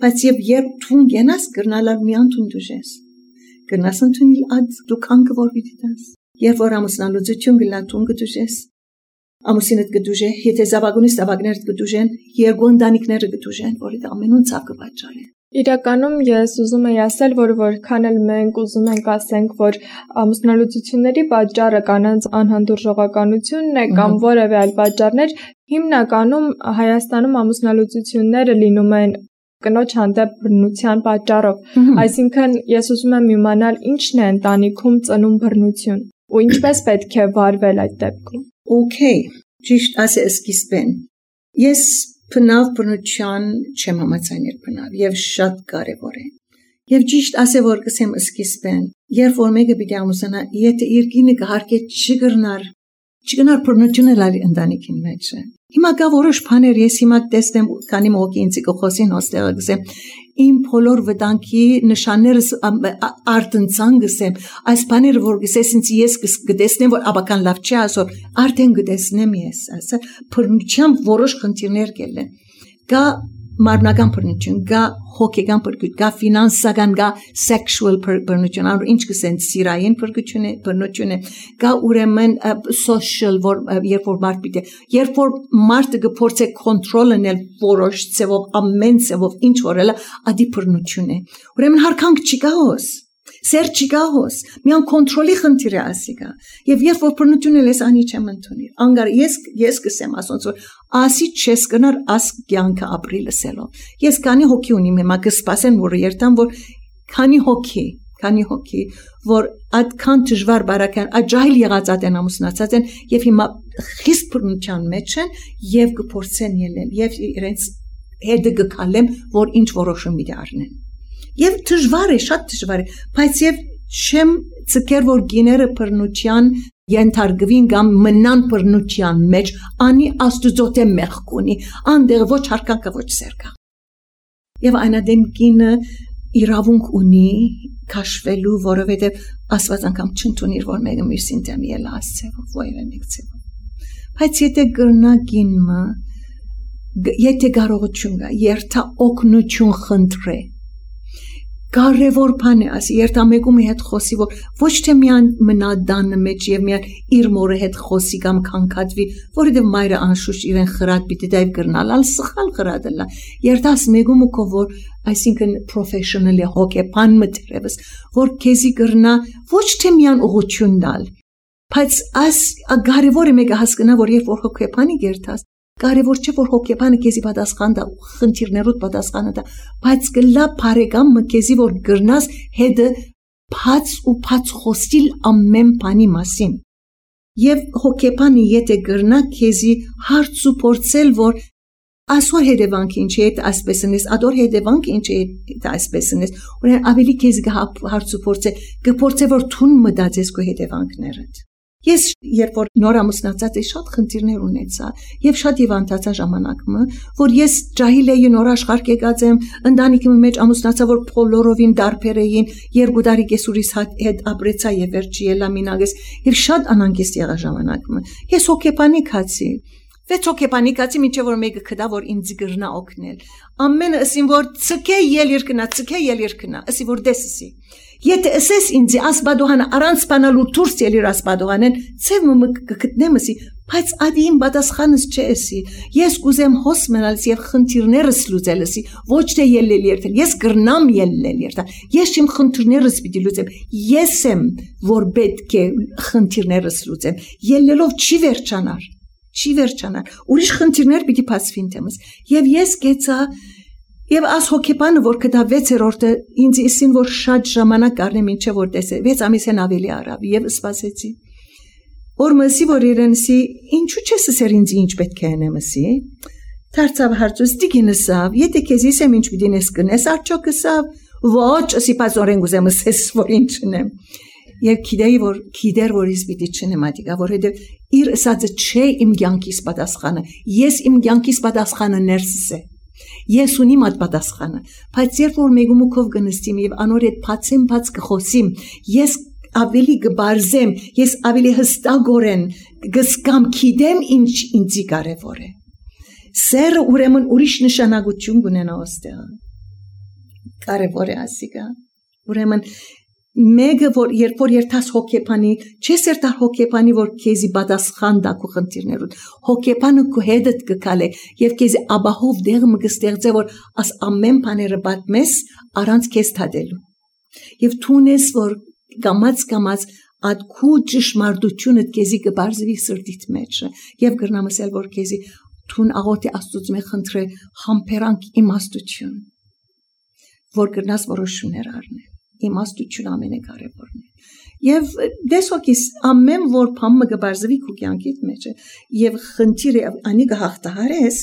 Բայց երբ թուն գնաս կրնալար մի անթուն դուժես, կրնաս ընդունիլ ադ դու կանգը որ պիտի տաս, երբ որ ամուսնալուծություն գլա թուն գդուժես, ամուսինդ գդուժե, եթե զավագունի զավագներդ գդուժեն, երկու ընտանիքները գդուժեն, որ դա ամենուն ցավ կպատճառի։ Իրականում ես ուզում եի ասել, որ որքան էլ մենք ուզում ենք ասենք, որ ամուսնալուծությունների պատճառը կանանց անհանդուրժողականությունն է կամ որևէ այլ պատճառներ, հիմնականում Հայաստանում ամուսնալուծությունները լինում են կնոջ հանդեպ բռնության պատճառով։ Այսինքն ես ուզում եմ իմանալ ինչն է ընտանիքում ծնում բռնություն ու ինչպես պետք է վարվել այդ դեպքում։ Okay, ճիշտ ասես սկիզբեն։ Ես Բնավ բնության չեմ համաձայնել բնավ եւ շատ կարեւոր է։ Եվ ճիշտ ասե որ կսեմ սկիզբեն, երբ որ մեկը պիտի ամուսնա, եթե իր կինը կհարկե չգրնար բնությունը լալի ընտանիքին մեջ։ Հիմա կա որոշ բաներ, ես հիմա տեսնեմ, քանի մոկի ինձ կխոսին հոստեղը գսեմ, իմ բոլոր վտանգի նշաններս արտընծան գսեմ, այս բաները որ գսես ինձ ես կտեսնեմ, որ աբական լավ չի ասոր, արդեն կտեսնեմ ես, ասա, բռնությամբ որոշ խնդիրներ կելեն։ Կա մարմնական բռնություն, կա հոգեկան բռնություն, կա ֆինանսական, կա sexual բռնություն, անոր ինչ կսեն սիրային բռնություն է, կա ուրեմն social, երբ որ մարդը կփորձե կոնտրոլ անել որոշ ձևով, ամեն ձևով, ինչ որ էլա, ադի բռնություն է։ Ուրեմն հարկանք չկա հոս, սեր չկա հոս, միան կոնտրոլի խնդիր է ասիկա։ Եվ երբ որ բռնություն ես անի չեմ ընդունի։ Անգար ես կսեմ ասոնց որ ասի չես կնար աս կյանքը ապրի լսելով։ Ես քանի հոգի ունիմ հիմա կսպասեն որ երթամ որ քանի հոգի որ այդքան դժվար բարական աջայլ եղած ատեն ամուսնացած են եւ հիմա խիստ բռնության մեջ են եւ կփորձեն ելնել եւ իրենց հետը գկալեմ որ ինչ որոշում մի դառնեն։ Եվ դժվար է, շատ դժվար է, բայց եւ չեմ ցկեր որ գիները բռնության ենթարկվին կամ մնան բռնության մեջ, անի աստուծոթե մեղք ունի, անդեղ ոչ հարկանքը ոչ սերկա։ Եվ այնադեմ գինը իրավունք ունի քաշվելու, որովհետեւ Աստված անգամ չընդունիր որ մեկը մյուսին դեմ ելա ասцеվով, ոյվե մեկցեվով։ Բայց եթե գրնա գինը, եթե կարողություն կա, երթա օգնություն խնդրե։ Կարևոր բան է ասի, երթամեկումի հետ խոսի, որ ոչ թե միան մնա դանը մեջ եւ միան իր մորը հետ խոսի կամ քանքատվի, որովհետեւ մայրը անշուշտ իրեն խրատ պիտի դայվ գրնալ, ալ սխալ խրատելա։ Երթաս մեկումը կո որ, այսինքն professional հոգեբան մտերևս, որ քեզի գրնա ոչ թե միան ուղղություն տալ, բայց այս կարևոր է մեկը հասկանա, որ երբ որ հոգեբանի երթաս կարևոր չէ որ հոգեբանը քեզի պատասխան տա, խնդիրներուդ պատասխանը տա, բայց կլա բարեկամ քեզի որ գրնաս հետը բաց ու բաց խոսիլ ամեն բանի մասին։ Եվ հոգեբանը եթե գրնա քեզի հարց ու փորձել որ ասոր հետևանք ինչ է այսպես ինձ, ադոր հետևանք ինչ է այսպես ինձ, ուրեմն ավելի քեզի հարց ու փորձե որ թուն մտածես քո հետևանքներդ։ Ես երբ որ նոր ամուսնացած էի շատ խնդիրներ ունեցա եւ շատ հիվանդացա ժամանակը որ ես ջահիլ էի նոր աշխարհ եկած եմ ընտանիքի մեջ ամուսնացա որ բոլորովին դարբեր էին երկու տարի կեսուրիս հետ ապրեցա եւ վերջի ելա մինագես եւ շատ անհանգիստ եղա ժամանակը ես հոգեբանիկացի վեց հոգեբանիկացի մինչեւ որ մեկը կդա որ ինձ գրնա օգնել ամենը ասին որ ցկե ել երկնա ասի որ դեսսի Եթե ասես ինձ ասպադոհանը առանց բանալու դուրս ելիր ասպադոհանեն, ցև կգտնեմսի, բայց ադիին պատասխանս չեսի։ Ես կուզեմ հոս մնալս եւ խնդիրներս լուծելսի, ոչ թե ելնել երթել։ Ես գրնամ ելնել երթալ։ Ես իմ խնդիրներս պիտի լուծեմ։ Ես եմ, որ պետք է խնդիրներս լուծեմ։ Ելնելով չի վերջանար։ Ուրիշ խնդիրներ պիտի բացվին թեմս։ Եվ ես գեցա Եվ աս հոգեբանը, որ կտա 6-րդը, ինձ իսին, որ շատ ժամանակ կարնեմ ինչե որ տեսե, 6 ամիսեն ավելի արավ, և սպասեցի։ Որ մսի, որ իրենսի, ինչու չես սեր ինձ ինչ պետք է ենեմսի, թարցավ հարցուս դիգինսավ, եթե կեզիս եմ ինչ բիդին ես կնես, արջոքսավ, ոչ, ասի պազ օրեն գուզեմ սես, որ ինչ նեմ։ Եվ գիտեր որ ես պիտի չնեմատիկա, որովհետև իր ասածը չէ իմ կյանքիս պատասխանը, ես իմ կյանքիս պատասխանը ներսս է, ես ունիմ այդ պատասխանը, բայց երբ որ մեգումուքով կնստիմ եւ անոր հետ բաց կխոսիմ, ես ավելի կբարձեմ, ես ավելի հստակորեն կզգամ, գիտեմ ինչ ինձի կարևոր է, սերը ուրեմն ուրիշ նշանակություն կունենա ոստեղ, կարևոր է ասիկա, ուրեմն մեկը որ երբ որ երթաս հոգեբանի, չես երթար հոգեբանի որ քեզի պատասխան տա քո խնդիրներուդ, հոգեբանը քո հետդ կգալե եւ քեզի աբահով դեղը կստեղծե որ աս ամեն բաները պատմես առանց քեզ թադելու եւ թունես որ կամած այդ քո ճշմարտությունը քեզի կբարձվի սրտիդ մեջ եւ գրնամ ասել որ քեզի թուն աղոթի աստծուց մե խնդրե համբերանք իմաստություն որ գրնաս որոշումներ առնել իմաստություն ամենակարևորն է եւ դեսոքիս ամեն որ բանը կբարձվի քո կյանքիդ մեջ եւ խնդիրը անի կհաղթահարես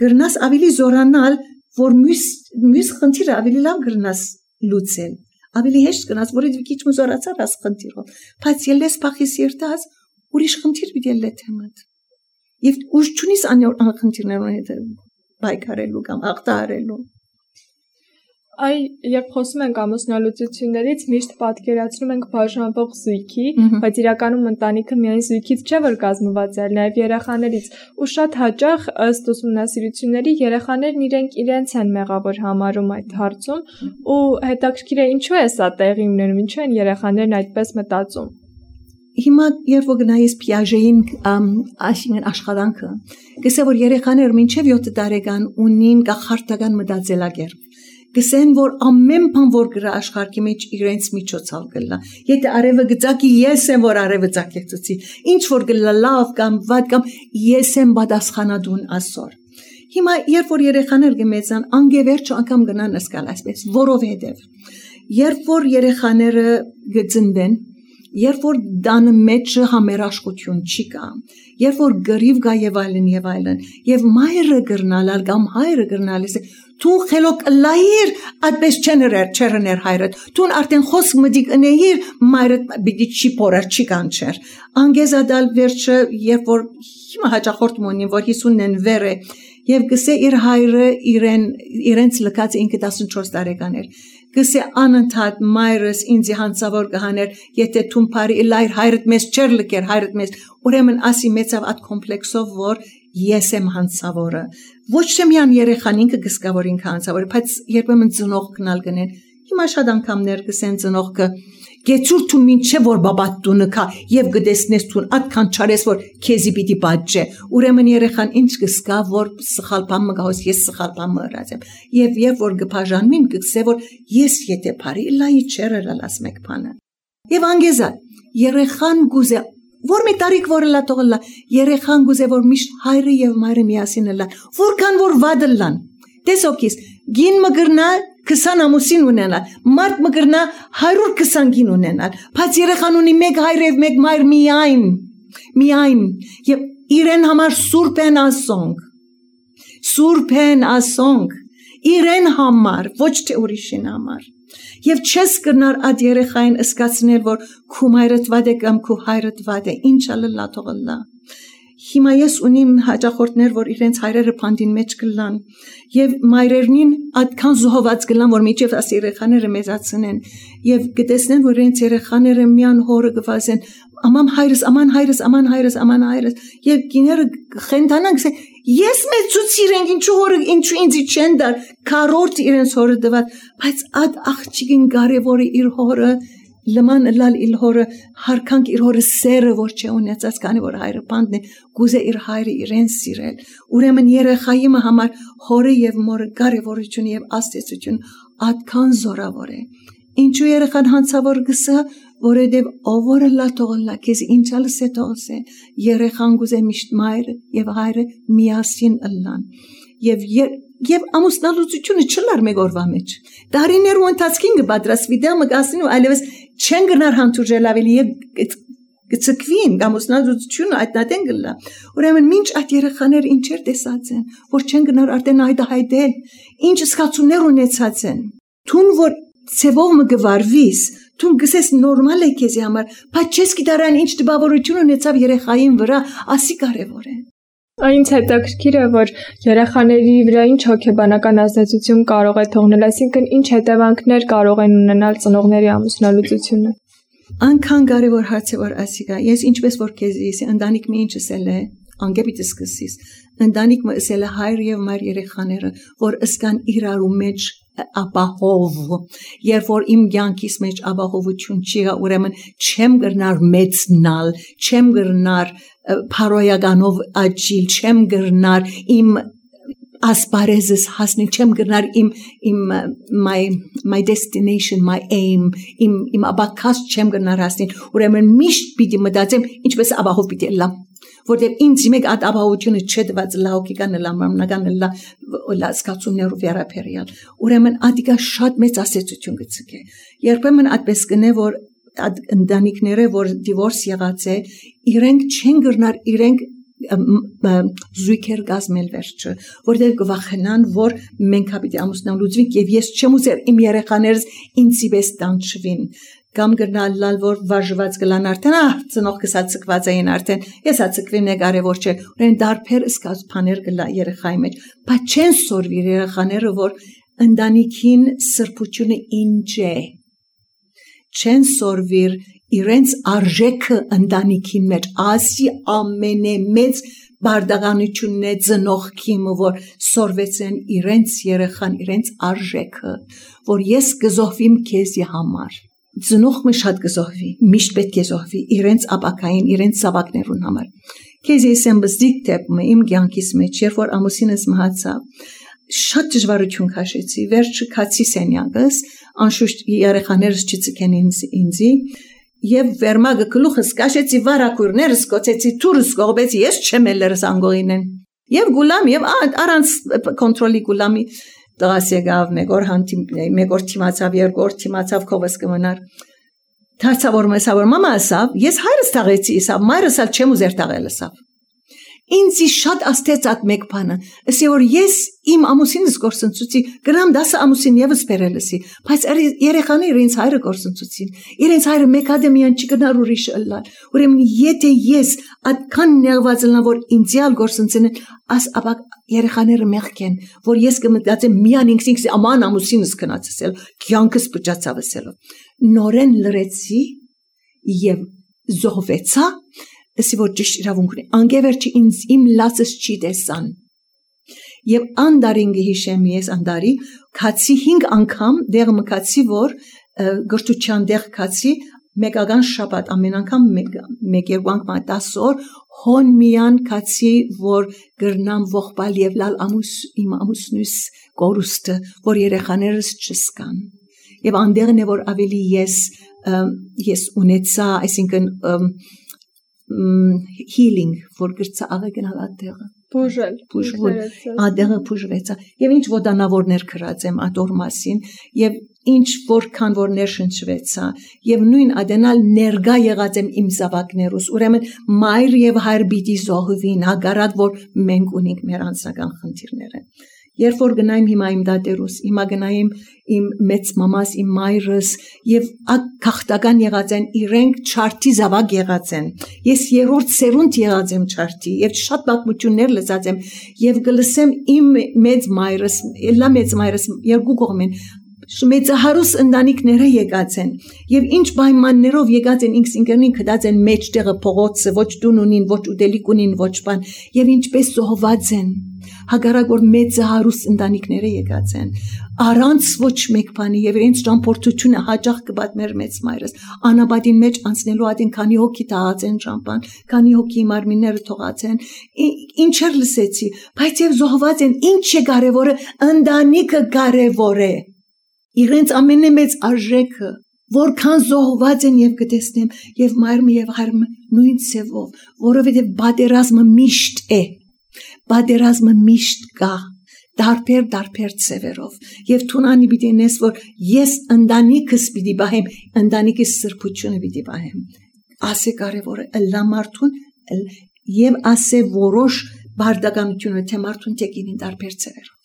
գրնաս ավելի զորանալ որ մյուս խնդիրը ավելի լավ գրնաս լուծել ավելի հեշտ կնաս որովհետեւ քիչ մզորացար աս խնդիրով բայց ելես փախիս երթաս ուրիշ խնդիր պիտի լեթեմդ եւ ուժ չունիս ան խնդիրներուն հետ բայկարելու կամ հաղթահարելու Այ երբ խոսում ենք ամուսնալուծություններից միշտ պատկերացնում ենք բաժանվող զույգի, բայց իրականում ընտանիքը միայն զույգից չէ որ կազմված է, նաև երեխաներից, ու շատ հաճախ ըստ ուսումնասիրությունների երեխաներն իրենց են մեղավոր համարում այդ հարցում, ու հետաքրքիր է ինչու է սա տեղի ունենում, ինչու են երեխաներն այդպես մտածում։ Հիմա երբ որ գնայես Պիաժեին այսինքն աշխատանքը, գսե որ երեխաները մինչև 7 տարեկան ունին գախարտական մտածելակերպ Գսեն որ ամեն բան որ գրա աշխարհի մեջ իրենց միջոցով գլա եթե արևը գծակի ես եմ որ արևը ծակեցուցի ինչ որ գլա լավ կամ վատ կամ ես եմ պատասխանատուն ասոր հիմա երբ որ երեխաներ գմեծան անգևերջ անգամ գնան ասկալ այսպես որովհետև երբ որ երեխաները գծնվեն երբ որ դանը մեջ համերաշխություն չի կա երբ որ գրիվ գա եւ այլն եւ մայրը գրնալալ կամ հայրը գրնալիս Տուն խելոք լայր այդպես չերներ հայրդ Տուն արդեն խոսք մդիկ ընեիր մայրդ բիդի չի պորար չի կանչեր անգեզադալ վերջը երբ որ հիմա հաճախորդ մոնին որ 50-ն վեր է եւ գսե իր հայրը իրենց լքած ինքը 14 տարեկան էր գսե անընդհատ մայրս ինձ հանցավոր կհաներ եթե տուն բարի լայր հայրդ մեզ չեր լքեր հայրդ մեզ ուրեմն ասի մեծավ այդ կոմպլեքսով որ ես եմ հանցավորը ոչ թե միան երեխան ինքը գսկա որ ինքը հանցավոր բայց երբեմն ծնող կնալ գնեն հիմա շատ անգամներ գսեն ծնողքը գեցուր თუ մինչե որ բաբատ տունը կա եւ գտեսնես տուն այդքան չարես որ քեզի պիտի պատժե ուրեմն երեխան ինչ գսկա որ սխալ բան մգահոս ես սխալ բան մռած եմ եւ երբ որ գբաժանմին գսե որ ես եթե բարի լայի չերելաս մեկ բանը եւ անգեզա երեխան գուզե Որ մի տարիք որ լա տողլա երեխան գուզե որ միշտ հայրը եւ մայրը միասին լան որքան որ վադը լան տեսոքիս գին մգրնա 20 ամուսին ունենալ մարդ մգրնա 120 գին ունենալ բայց երեխան ունի մեկ հայր եւ մեկ մայր միայն եւ իրեն համար սուրբ են ասոնք իրեն համար ոչ թե ուրիշին համար Եվ չես կրնար այդ երեխային ըսկացնել, որ քու մայրդ վատ է կամ քու հայրդ վատ է, ինչ ալլա թողլա։ Հիմա ես ունիմ հաճախորդներ, որ իրենց հայրերը փանդին մեջ կլան, եւ մայրերնին այդքան զոհված կլան, որ միջև աս երեխաները մեծացնեն, եւ գտեսնեն, որ իրենց երեխաները միան հորը գվազեն, աման հայրս, եւ գիները խենթանան գսեն, ես մեծուց իրենք, ինչու հորը, ինչու ինձի չեն դար, քառորդ իրենց հորը դված, բայց այդ աղջիկին կարևորը իր հորը Լման լալ իր հորը հարկանք իր հորը սերը որ չէ ունեցած քանի որ հայրը բանդն է գուզե իր հայրը իրեն սիրել ուրեմն երեխայի համար հորը եւ մորը կարևորություն եւ աստեցություն այդքան զորավոր է ինչու երեխան հանցավոր գսա որովհետեւ ովորը լա թողլա քեզ ինչալ սե թողսե երեխան գուզե միշտ մայրը եւ հայրը միասին ըլլան Եվ ամուսնալուծությունը չլար մեկ օրվա մեջ։ Դարիներու ընթացքին կպատրաստվի դեղ մգասին ու այլևս չեն գնար հանդուրժել ավելի եւ գծկվին ամուսնալուծությունը այդնատեն գլա։ Ուրեմն մինչ այդ երեխաները ինչեր տեսած են, որ չեն գնար արդեն հայտահայտել, ինչ զգացումներ ունեցած են։ Թուն որ ցևով մգվարվիս, Դու գսես նորմալ է քեզի համար, բայց չես գիտարան ինչ տպավորություն ունեցավ երեխային վրա, ասի կարևոր է։ Այնց հետաքրքիր է, որ երեխաների վրա ինչ հոգեբանական ազդեցություն կարող է թողնել, այսինքն ինչ հետևանքներ կարող են ունենալ ծնողների ամուսնալուծությունը։ Անքան կարևոր հարց է, որ ասիկա, ես ինչպես որ քեզի ընտանիքը ինչ ասել է, անգեպիտ սկսես, ընտանիքը ասել է հայր եւ մայր երեխաները, որ ըսկան իրարու մեջ ապահով, երբ որ իմ կյանքիս մեջ ապահովություն չի, ուրեմն չեմ գրնար մեծնալ, չեմ գրնար փարոյականով աճիլ, չեմ գրնար իմ ասպարեզս հասնել, չեմ գրնար my destination, my aim, իմ աբակաս չեմ գրնար հասնել, ուրեմն միշտ պիտի մտածեմ, ինչպես ապահով պիտի լամ, որտեղ ինձ մեկ այդ ապահովությունը չդված լահոգիկան լամնական լասկացումներով վերապերյալ, ուրեմն ադիկա շատ մեծ ասեցություն գցկե, երբեմն այդպես կնե, որ ընտանիքները, որ դիվորս եղած է, իրենք չեն գրնար, իրենք զույգեր գազմել վերջը, որտեղ կվախենան, որ մենք հապիտի ամուսնալուծվենք եւ ես չեմ ուզեր իմ երեխաներս ինձի պես տանջվին, կամ գրնալ որ վարժված կլան արդեն, ծնող կսացկված էին արդեն, ես ացկվեմ նե կարևոր չէ, ուրեն դարբեր սկազբաներ կլա երեխայի մեջ, բայց չեն սորվիր երեխաները, որ ընտանիքին սրբությունը ինչ է, չեն սորվիր իրենց արժեքը ընտանիքին մեջ, ասի ամենամեծ բարդականությունն է ծնող քիմը, որ սորվեցեն իրենց երեխան, իրենց արժեքը, որ ես կզոհվիմ քեզի համար, ծնողը շատ կզոհվի, միշտ պետք է զոհվի իրենց ապակային, իրենց զավակներուն համար, քեզի եմ բզդիկ տեպը իմ կյանքիս մեջ, երբ որ ամուսինս մահացավ, շատ դժվարություն քաշեցի, վերջը քացի սենյակս, անշուշտ երեխաներս չծկեն ինձի, եւ վերմագը գլուխս կաշեցի վարակուրներս կոծեցի թուրս կողբեցի ես չեմ ելերս անգողինեն եւ գուլամ եւ առանց կոնտրոլի գուլամի դրաս եկավ մեկ օր թիմացավ երկրորդ թիմացավ կովս կմնար դարձավ որ մեսավ մամա ասավ ես հայրս տաղեցի ասավ մայրս ալ չեմ ուզեր տաղել ասավ ինձի շատ աստեց այդ մեկ բանը ասի որ ես իմ ամուսինս գործընծուցի գրամ 10 ամուսին եւս բերելսի բայց երեխաները ինձ հայրը գործընծուցին իրենց հայրը մեկադեմիան չգնար ուրիշ ըլլալ ուրեմն եթե ես այդքան ներված ելնա որ ինձիալ գործընծեն աս ապա երեխաները մեղքեն որ ես կմտածեմ միան ինքս աման ամուսինս կնացել կյանքս բջացավ ասելով նորեն լրեցի եւ զոհվեցա Ասի որ ճիշտ իրավունք ունի, անգևերջի ինձ իմ լացս չի տեսան։ Եվ անդարին գհիշեմ ես անդարի, կացի 5 անգամ դեղ մկացի, որ գրթության դեղ կացի, մեկական շաբաթ, ամեն անգամ մեկ երկու անգամ 10 օր, հոն միան կացի, որ գրնամ ողբալ և լալ իմ ամուսնուս կորուստը, որ երեխաներս չսկան։ Եվ անդեղն է, որ ավելի ես ունեցա, այսինքն healing որ գրծա աղը գնալ ադեղը բուժվել ադեղը բուժվեցա եւ ինչ ոդանավորներ կրած եմ ադոր մասին եւ ինչ որքան որ ներշնչվեցա եւ նույն ադենալ ներգա եղած եմ իմ զավակներուս ուրեմն մայր եւ հայր պիտի զոհվին հագարակ որ մենք ունենք մեր անձնական խնդիրները Երբ որ գնայիմ հիմա իմ դատերուս, հիմա գնայիմ իմ մեծ մամաս, իմ մայրս և քաղտական եղած են, իրենք չարդի զավակ եղած են, ես երորդ սերունդ եղած եմ չարդի և շատ պատմություններ լսած եմ և գլսեմ իմ մեծ մայրս, էլա մեծ մայրս երկու կողմեն, մեծահարուս ընտանիքները եկած են և ինչ պայմաններով եկած են ինքնին կդած են մեջտեղը փողոցը, ոչ տուն ունին, ոչ ուտելիք ունին, ոչ բան և ինչպես զոհված են հագարակ որ մեծահարուս ընտանիքները եկած են առանց ոչ մեկ բանի և իրենց ճամփորդությունը հաճախ կպատմեր մեծ մայրս անապատին մեջ անցնելու ադին քանի հոգի տաղած են ճամփան քանի հոգի մարմինները թողած են ինչեր լսեցի բայց և զոհված են ինչ է կարևորը ընտանիքը կարևոր է իրենց ամենամեծ արժեքը որքան զոհված են և կտեսնեմ և մայրը և հայրը նույն ցևով որովհետև պատերազմը միշտ է պատերազմը միշտ կա դարբեր ցևերով և թունանի պիտի նես որ ես ընտանիքս պիտի պահեմ ընտանիքիս սրբությունը պիտի պահեմ ասե կարևորը ըլլա մարդուն և ասե որոշ բարդականությունը թե մարդուն տեկինին դարբեր ցևերով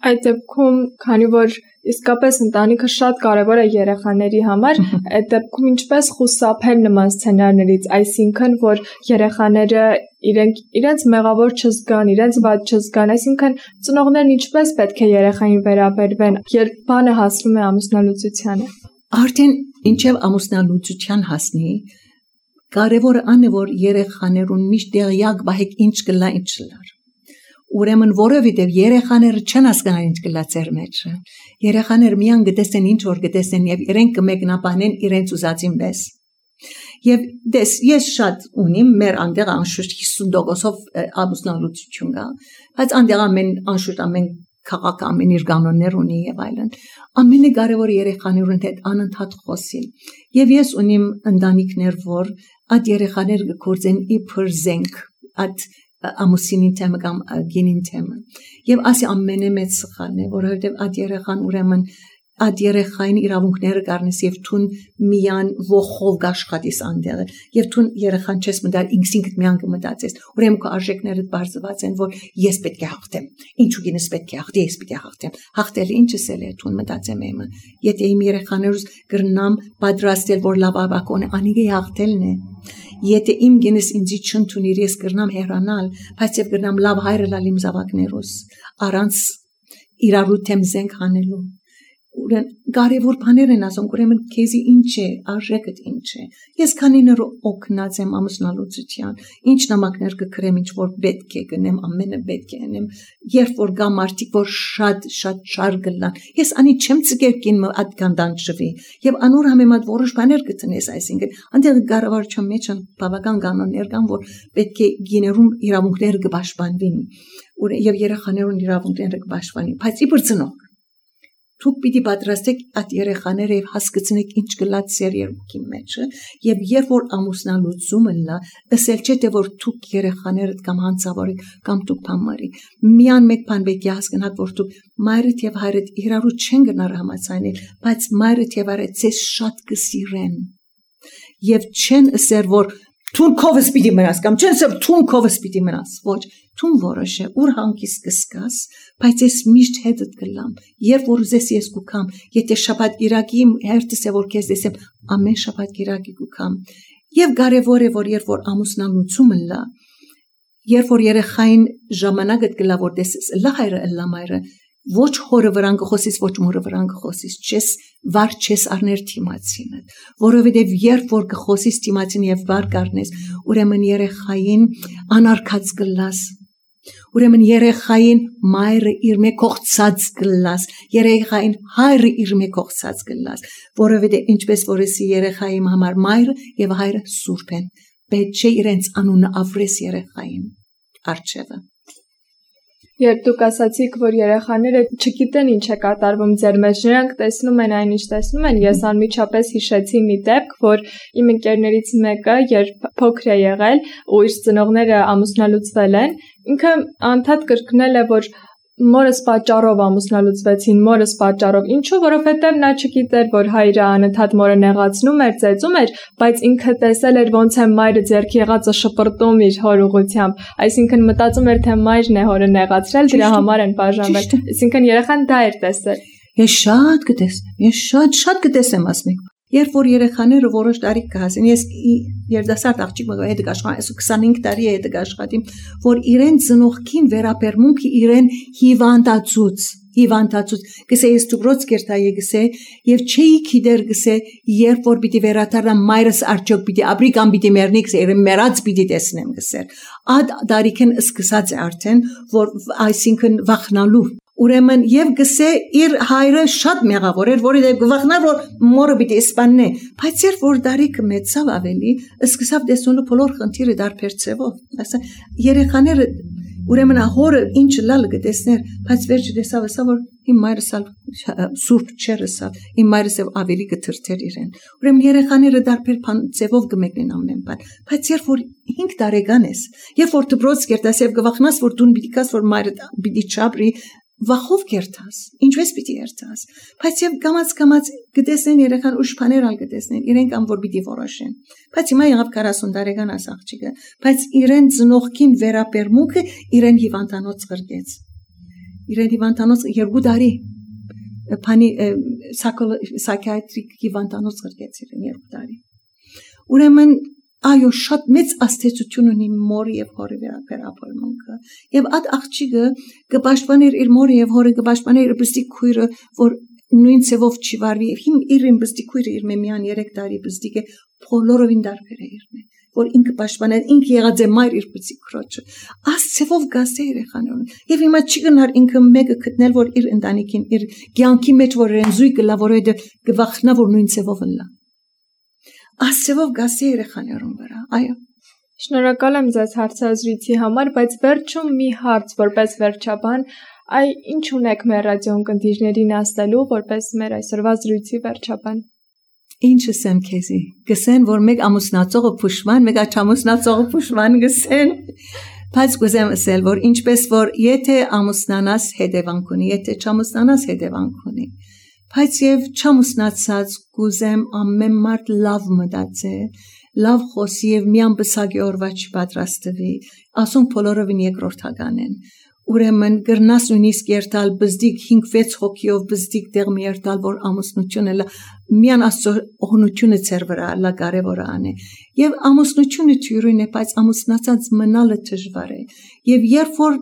Այդ դեպքում, քանի որ իսկապես ընտանիքը շատ կարևոր է երեխաների համար, այդ դեպքում ինչպես խուսափել նման սցենարներից, այսինքն, որ երեխաները իրենց մեղավոր չզգան, իրենց վատ չզգան, այսինքն ծնողներն ինչպես պետք է երեխային վերաբերվեն, երբ բանը հասնում է ամուսնալուծությանը։ Արդեն ինչև ամուսնալուծության հասնի, կարևորը այն է, որ երեխաներուն միշտ տեղյակ բահեք ինչ կլա, ինչ չլար։ Ուրեմն որովհետև երեխաները չեն հասկանալ ինչ կլա ձեր մեջ։ Երեխաները միան գտեսեն ինչ որ գտեսեն եւ իրենք կմեկնաբանեն իրենց ուզածին պես։ Եվ ես շատ ունիմ մեր անդեղ անշուշտ 50%-ով ամուսնալուծություն կա, բայց անդեղ ամեն քաղաք ամեն իր կանոններ ունի եւ այլն։ Ամենակարևորը երեխաներուն հետ անընդհատ խոսիլ։ Եվ ես ունիմ ընտանիքներ, որ այդ երեխաները գործեն իբր զենք, այդ ամուսինին թեմը կամ գինին թեմը։ Եվ ասի ամենամեծ սխալն է, որովհետև այդ երեխան ուրեմն այդ երեխային իրավունքները կառնես եւ թուն միան ողով աշխատես անդեղը եւ թուն երեխան չես մտալ ինքսինքդ միան կմտածես ուրեմն քո արժեքներդ բարձված են որ ես պետք է հաղթեմ ինչու գինս պետք է հաղթի ես պետք է հաղթեմ հաղթելը ինչս է թուն մտածեմ եմը եթե իմ երեխաներուս կրնամ պատրաստել որ լավ աբակոն անիգե հաղթելն է եթե իմ գինս ինձի չընդունիր ես կրնամ հեռանալ բայց եւ կրնամ լավ հայրը լալ իմ զավակներուս առանց իրարու թեմ զենք հանելու Ուրեմն կարևոր բաներ են ասում, ուրեմն քեզի ինչ է, արժեքդ ինչ է։ Ես քանիներ օգնած եմ ամուսնալուծության, ինչ նամակներ կգրեմ, ինչ որ պետք է գնեմ, ամենը պետք է անեմ, երբ որ գա մարդիկ, որ շատ շար գլան։ Ես անի չեմ ցկերքին այդ կանդան շվի, եւ անոր համեմատ որոշ բաներ կտնես, այսինքն, այնտեղ կառավարության մեջ բավական կանոններ կան, որ պետք է գիներում իրավունքները կպաշտպանվին, եւ երեխաներուն իրավունքները կպաշտպանվին, բայց իբր ծնող Թուք պիտի պատրաստեք այդ երեխաները եւ հասկացնեք ինչ կլա ձեր երկի մեջը եւ երբ որ ամուսնալուծումը լա, ասել չէ թե որ թուք երեխաներդ կամ հանցավորեք կամ դուք փամարի։ Միան մեկ բան պետք է հասկանաք որ դուք մայրդ եւ հայրդ իրարու չեն գնար համացանել, բայց մայրդ եւ հայրդ ձեզ շատ կսիրեն։ Եվ չեն ասել որ Թուն քովս պիտի մնաս կամ չեն ասել թուն քովս պիտի մնաս ոչ թուն որոշ է ուր հանգիս կսկաս բայց ես միշտ հետդ կլամ երբ որ ուզես ես կուքամ եթե շաբաթ գիրակի հերթս է որ քեզ դեսեմ ամեն շաբաթ գիրակի կուքամ եւ կարեւոր է որ երբ որ ամուսնալուծումը լա երբ որ երեխային ժամանակդ կլա որ դեսես լա հայրը լա մայրը ոչ հորը վրան կխոսիս ոչ մորը վրան կխոսիս չես վար չես առներ թիմացինը որովհետև երբ որ կխոսիս թիմացին եւ վար կառնես ուրեմն երեխային անարգած կլաս ուրեմն երեխային մայրը իր մեկ կողծած կլաս երեխային հայրը իր մեկ կողծած կլաս որովհետև ինչպես որսի երեխայի համար մայրը եւ հայրը սուրբ են պետք չէ իրենց անունը ավրես երեխային արչեվը Երբ դուք ասացիք, որ երեխաները չգիտեն ինչ է կատարվում ձեր մեջ, նրանք տեսնում են այն, ինչ տեսնում են, ես անմիջապես հիշեցի մի դեպք, որ իմ ընկերներից մեկը, երբ փոքր է եղել ու իր ծնողները ամուսնալուծվել են, ինքը անդադ կրկնել է, որ մորս պատճառով ամուսնալուծվեցին, մորս պատճառով, ինչու, որովհետև նա չգիտեր, որ հայրը անընդհատ մորը նեղացնում էր, ծեծում էր, բայց ինքը տեսել էր ոնց է մայրը ձեռքի եղածը շպրտում իր հոր ուղությամբ, այսինքն մտածում էր, թե մայրն է հորը նեղացրել, դրա համար են բաժանվել, այսինքն երեխան դա էր տեսել։ Ես շատ կտեսեմ ասմիկ։ Երբ որ երեխաները որոշ տարիք կհասին, ես երդասարդ աղջիկ մգա հետ կաշխատեմ, ես 25 տարի է հետ կաշխատեմ, որ իրեն ծնողքին վերաբերմունքը իրեն հիվանդացուց, գսե ես դուբրոց կերտայի գսե, եւ չէի գիտեր գսե, երբ որ պիտի վերադառնամ մայրս արջոք պիտի ապրի կամ պիտի մեռնի գսե, իրեն մեռած պիտի տեսնեմ գսեր։ Այդ դարիքն սկսած է արդեն, որ այսինքն վախնալու Ուրեմն եւ գսե իր հայրը շատ մեղավոր էր, որի դեպ գվախնար որ մորը պիտի իսպաննե, բայց երբ որ դարիքը մեծավ ավելի, սկսավ տեսնելու բոլոր խնդիրը դարբեր ցևով։ Ասա երեխաները ուրեմն հորը ինչ լալ կտեսներ, բայց վերջը տեսավ ասա որ իմ մայրս սուրբ չերսավ, իմ մայրս ավելի կթրթեր իրեն։ Ուրեմն երեխաները դարբեր ցևով կմեկնեն ամեն բան, բայց երբ որ 5 տարեկան ես, երբ որ դպրոց կերտաս եւ գվախնաս որ դուն պիտի կաս որ մայրը պիտի չապրի Վախով կերտաս, ինչպես պիտի երթաս, բայց եւ կամած գտեսնեն երեխան ուշ բաներ ալ գտեսնեն, իրենք ամ որ պիտի որոշեն, բայց հիմա եղավ 40 տարեկան աս աղջիկը, բայց իրեն ծնողքին վերաբերմունքը իրեն հիվանդանոց գրգեց, իրեն հիվանդանոց 2 տարի բանի psychiatric հիվանդանոց գրկեց իրեն 2 տարի ուրեմն այո շատ մեծ աստեցություն ունի մորի եւ հորի վերաբերմունքը եւ այդ աղջիկը կպաշտպաներ իր մորը եւ հորը կպաշտպաներ իր բստիկ քույրը որ նույն ցևով չի վարվի իմ իրեն բստիկ քույրը իր մեմյան 3 տարի բստիկ է բոլորովին դարբեր է իրեն որ ինքը պաշտպանել ինքը եղած է մայր իր բստիկ քրոջը աս ցևով գասե երեխաներուն եւ հիմա չի գնար ինքը մեկը գտնել որ իր ընտանիքին իր կյանքի մեջ որ իրեն զույգը լա որ այդ գվախնա որ նույն ցևով լա աս ցևով գասե երեխաներուն վրա այո Շնորհակալ եմ ձեզ հարցազրույցի համար, բայց վերջում մի հարց որպես վերջաբան, այ ինչ ունեք մեր ռադիոն կնդիրներին ասելու որպես մեր այսօրվա զրույցի վերջաբան։ Ինչ ասեմ քեզի, գսեն որ մեկ ամուսնացողը փուշման, մեկ աչամուսնացողը փուշման գսեն, բայց գուզեմ ասել որ ինչպես որ եթե ամուսնանաս հետևանք ունի, եթե չամուսնանաս հետևանք ունի, բայց եւ չամուսնացած գուզեմ ամեն մարդ լավ մտածե լավ խոսի եւ միան բսագի օրվա չպատրաստվի, ասում բոլորովին երկրորդական են։ Ուրեմն գրնաս նույնիսկ երթալ բզդիկ 5-6 հոգիով բզդիկ դեղ մի երթալ որ ամուսնությունը լա միան աստծո օգնությունը ծեր վրա լա կարևորը անե եւ ամուսնությունը թյուրին է բայց ամուսնացած մնալը դժվար է եւ երբ որ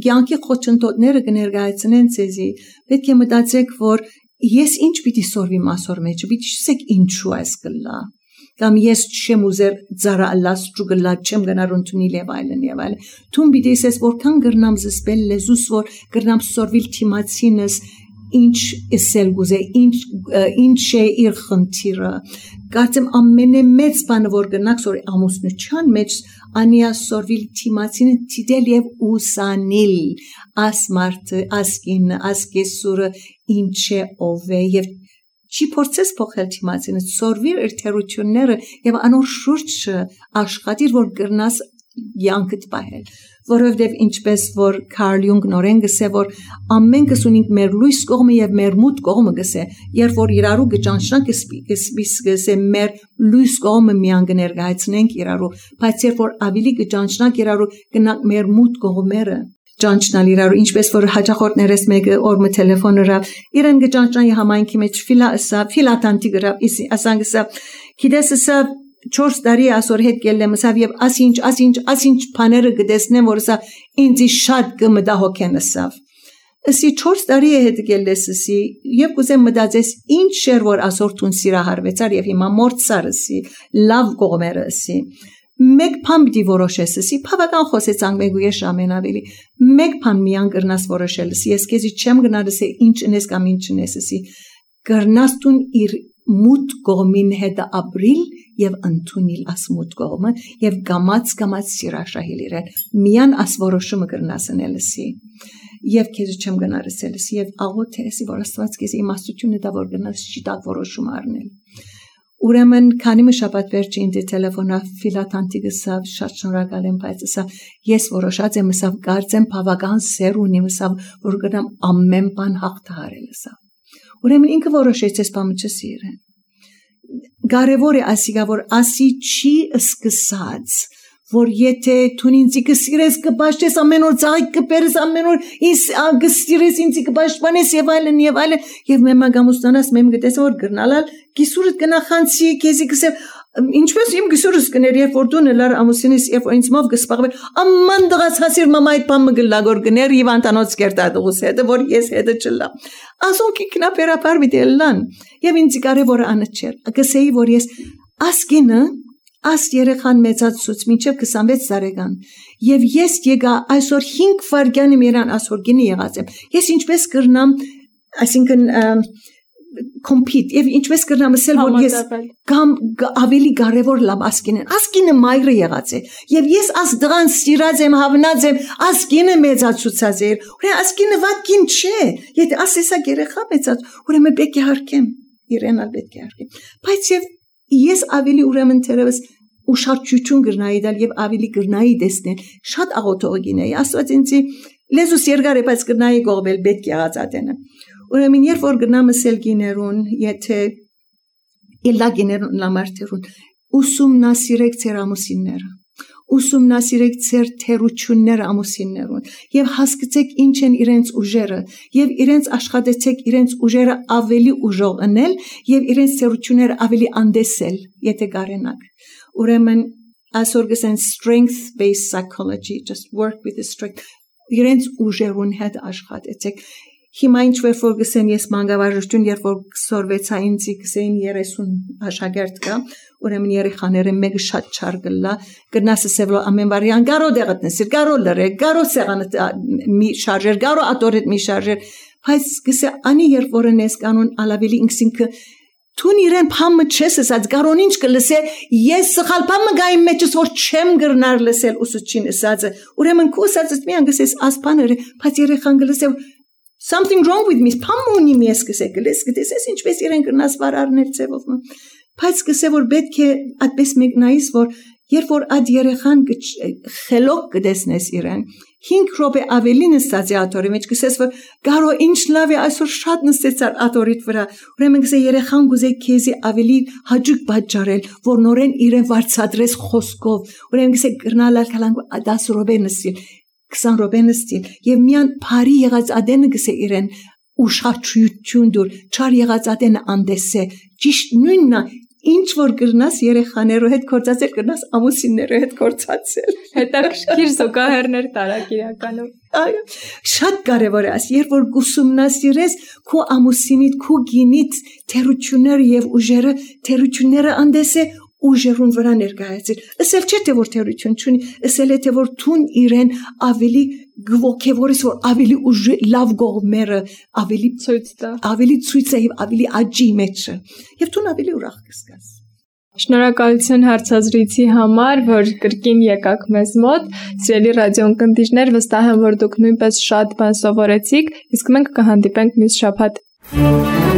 կյանքի խոչընդոտները կներկայացնեն ցեզի պետք է մտածեք որ ես ինչ պիտի սորվի մասոր մեջը պիտի չսեք ինչու այս կլա կամ ես չեմ ուզեր ծարալաս ճուգլա չեմ գնար ունտունի եւ այլն թուն պիտի ասես որքան գրնամ զսպել լեզուս որ գրնամ սորվիլ թիմացինս ինչ էսել գուզե ինչ է իր խնդիրը կարծեմ ամենամեծ բանը որ գնաք սորի ամուսնության մեջ անիա սորվիլ թիմացինը դիտել եւ ուսանիլ աս մարդը ասկին ասկեսուրը ինչ է ով է եւ Չի փորձես փոխել թիմացինը, սորվիր իր թերությունները եւ անոր շուրջը աշխատիր որ գրնաս յանքդ պահել, որովհետեւ ինչպես որ Կարլ Յունգ նորեն գսե որ ամենքս ունենք մեր լույս կողմը եւ մեր մութ կողմը գսե, երբ որ իրարու գճանշանք գսե մեր լույս կողմը միան կներկայացնենք իրարու, բայց երբ որ ավելի գճանշանք իրարու գնանք մեր մութ կողմերը Ճանչնալ իրարու ինչպես որ հաջախորդներս մեկը օրը տելեֆոնը ռավ իրեն գճանչնայի համայնքի մեջ ֆիլատանտի գրավ ասանք սա գիտես սա 4 տարի ասոր հետ գելեմ սավ եւ ասինչ բաները գտեսնեմ որ սա ինձ շատ կմտահոգեն սավ Ասի 4 տարի է հետ գելեսի եւ կուզեմ մտածես ինչ շեր որ ասոր տուն սիրահարվեցար եւ հիմա մորցարսի լավ կողմերսի Մեկ բան պիտի որոշեսի, բավական խոսեցանք մեկ ու ես ամենավելի, մեկ բան միան գրնաս որոշելսի, ես քեզի չեմ գնալս ինչ ինես կամ ինչ ինեսի, գրնաս տուն իր մութ կողմին հետ ապրիլ եւ ընդունել աս մութ կողմը եւ գամած սիրաշահել իրեն, միան աս որոշումը գրնաս անելսի, եւ քեզի չեմ գնալսի եւ աղոթ էսի որ Աստված քեզի իմաստությունը դա որ գնաս շիտակ որոշում առնել Ուրեմն քանի շաբաթ վերջ ինձ տելեֆոնա ֆիլատանտի գսավ շատ շնորհակալ եմ բայց սա ես որոշած եմ սա կարծեմ բավական սեր ունի սա որ գնամ ամեն բան հաղթահարել սա Ուրեմն ինքը որոշեց ես բամը չսիրեն Կարևոր է ասիգա որ ասի չի սկսած որ եթե դու ինձ կսիրես կպաշտես ամեն օր ցայք կպերես ամեն օր իս կսիրես ինձ կպաշտպանես եւ այլն եւ մեմագամուստանաս մեմ գտես որ գրնալալ գիսուրդ կնախանցի քեզի կսե ինչպես իմ գիսուրս կներ երբ որ դու նլար ամուսինիս երբ ինձ մով կսպաղվել աման դղաց հասիր մամայ պամը գլագոր գներ եւ անտանոց կերտադուս հետը որ ես հետը չլա ասոնք ինքնապերապար միտելան եւ ինձ կարեւորը անչեր գսեի որ ես ասկինը Աս երեխան մեծացուց մինչև 26 տարեկան եւ ես եկա այսօր 5 վայրկյան իրան այսօր գինի եղած եմ ես ինչպես կրնամ այսինքն compete եւ ինչպես կրնամ ասել որ ես կամ ավելի կարեւոր լավ ասկինը մայրը եղած է եւ ես աս դրան սիրած եմ հավնած եմ ասկինը մեծացուցած է ուրեմն ասկինը վատքին չէ եթե ասեսա երեխա մեծած ուրեմն պետք է հարկեմ իրեն ալ պետք է հարկեմ բայց եւ Ես ավելի ուրեմն թերևս ուշադրություն գրնայի դալ եւ ավելի գրնայի տեսնել շատ աղոթող գինեի աստված ինձի լեզուս երկար է բայց գրնայի գողվել պետք է ածատենը ուրեմն երբ որ գրնամ ասել գիներուն եթե իլա գիներուն լամարտերուն ուսումնասիրեք ծեր ամուսինները ուսումնասիրեք ձեր թերությունները ամուսիններուն եւ հասկացեք ինչ են իրենց ուժերը եւ իրենց աշխատեցեք իրենց ուժերը ավելի ուժող անել եւ իրենց թերությունները ավելի անդեսել եթե կարենաք ուրեմն այսօր գսեն strength based psychology just work with the strength իրենց ուժերուն հետ աշխատեցեք հիմա ինչ որ գսեն ես մանկավարժություն երբ որ սորվեցա ինձ գսեն 30 աշակերտ կա ուրեմն երեխաները մեկը շատ չար գլա գնաս սեվլո ամեն բարյան գարո դեղտնես գարո լրե գարո սեղանը մի շարժեր գարո ատորետ մի շարժեր բայց գսե անի երբ որ ես կանոն ալավելի ինքսինքը Tun իրեն փամը չես ասած գարոն ինչ կլսե ես սխալ փամը գայ մեջս որ չեմ գրնար լսել ուսուցչին ասածը ուրեմն քո ասածը մի անգսես ասպաները բայց երեխան գլսե something wrong with me փամ ունի ես կսե գլես գտես ինչպես իրեն գրնաս վարարներ ծևով բայց կսե որ պետք է այդպես մեկնայիս որ երբ որ այդ երեխան խելոք կդեսնես իրեն 5 րոպե ավելի նստած է աթորի մեջ կսես որ գարո ինչ լավ է այսօր շատ նստեց աթորիդ վրա ուրեմն կսե երեխան գուզե քեզի ավելի հաջիկ պատճառել որ նորեն իրեն վարձատրես խոսքով ուրեմն կսե գրնալալ կալան 10 րոպե նստի 20 րոպե նստի եւ միան բարի եղած ադենը կսե իրեն ուշադրություն դուր չար եղած ադենը անդեսե ճիշտ նույնն Ինչ որ գրնաս երեխաներու հետ կործացել գրնաս ամուսիններու հետ կործացել հետաքրքիր զուգահեռներ տարակ իրականում այո շատ կարևոր է երբ որ ուսումնասիրես քո ամուսինիդ քո գինիդ թերությունները եւ թերությունները անդեսե ուժերուն վրա ներկայացել ասել չէ թե որ թերություն չունի ասել է թե որ թուն իրեն ավելի գողքեվորից որ ավելի ուժ լավ գողմերը ավելի ցույց է եւ ավելի աճի մեջ եւ թուն ավելի ուրախ կսկաս Շնորհակալություն հարցազրույցի համար որ կրկին եկաք մեզ մոտ սիրելի ռադիոընկերներ վստահ եմ որ դուք նույնպես շատ բան սովորեցիք իսկ մենք կհանդիպենք մյուս շաբաթ Yara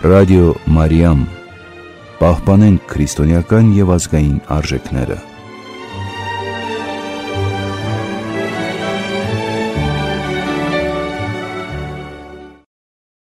Ռադիո Մարիամ, պահպանենք քրիստոնեական եւ ազգային արժեքները։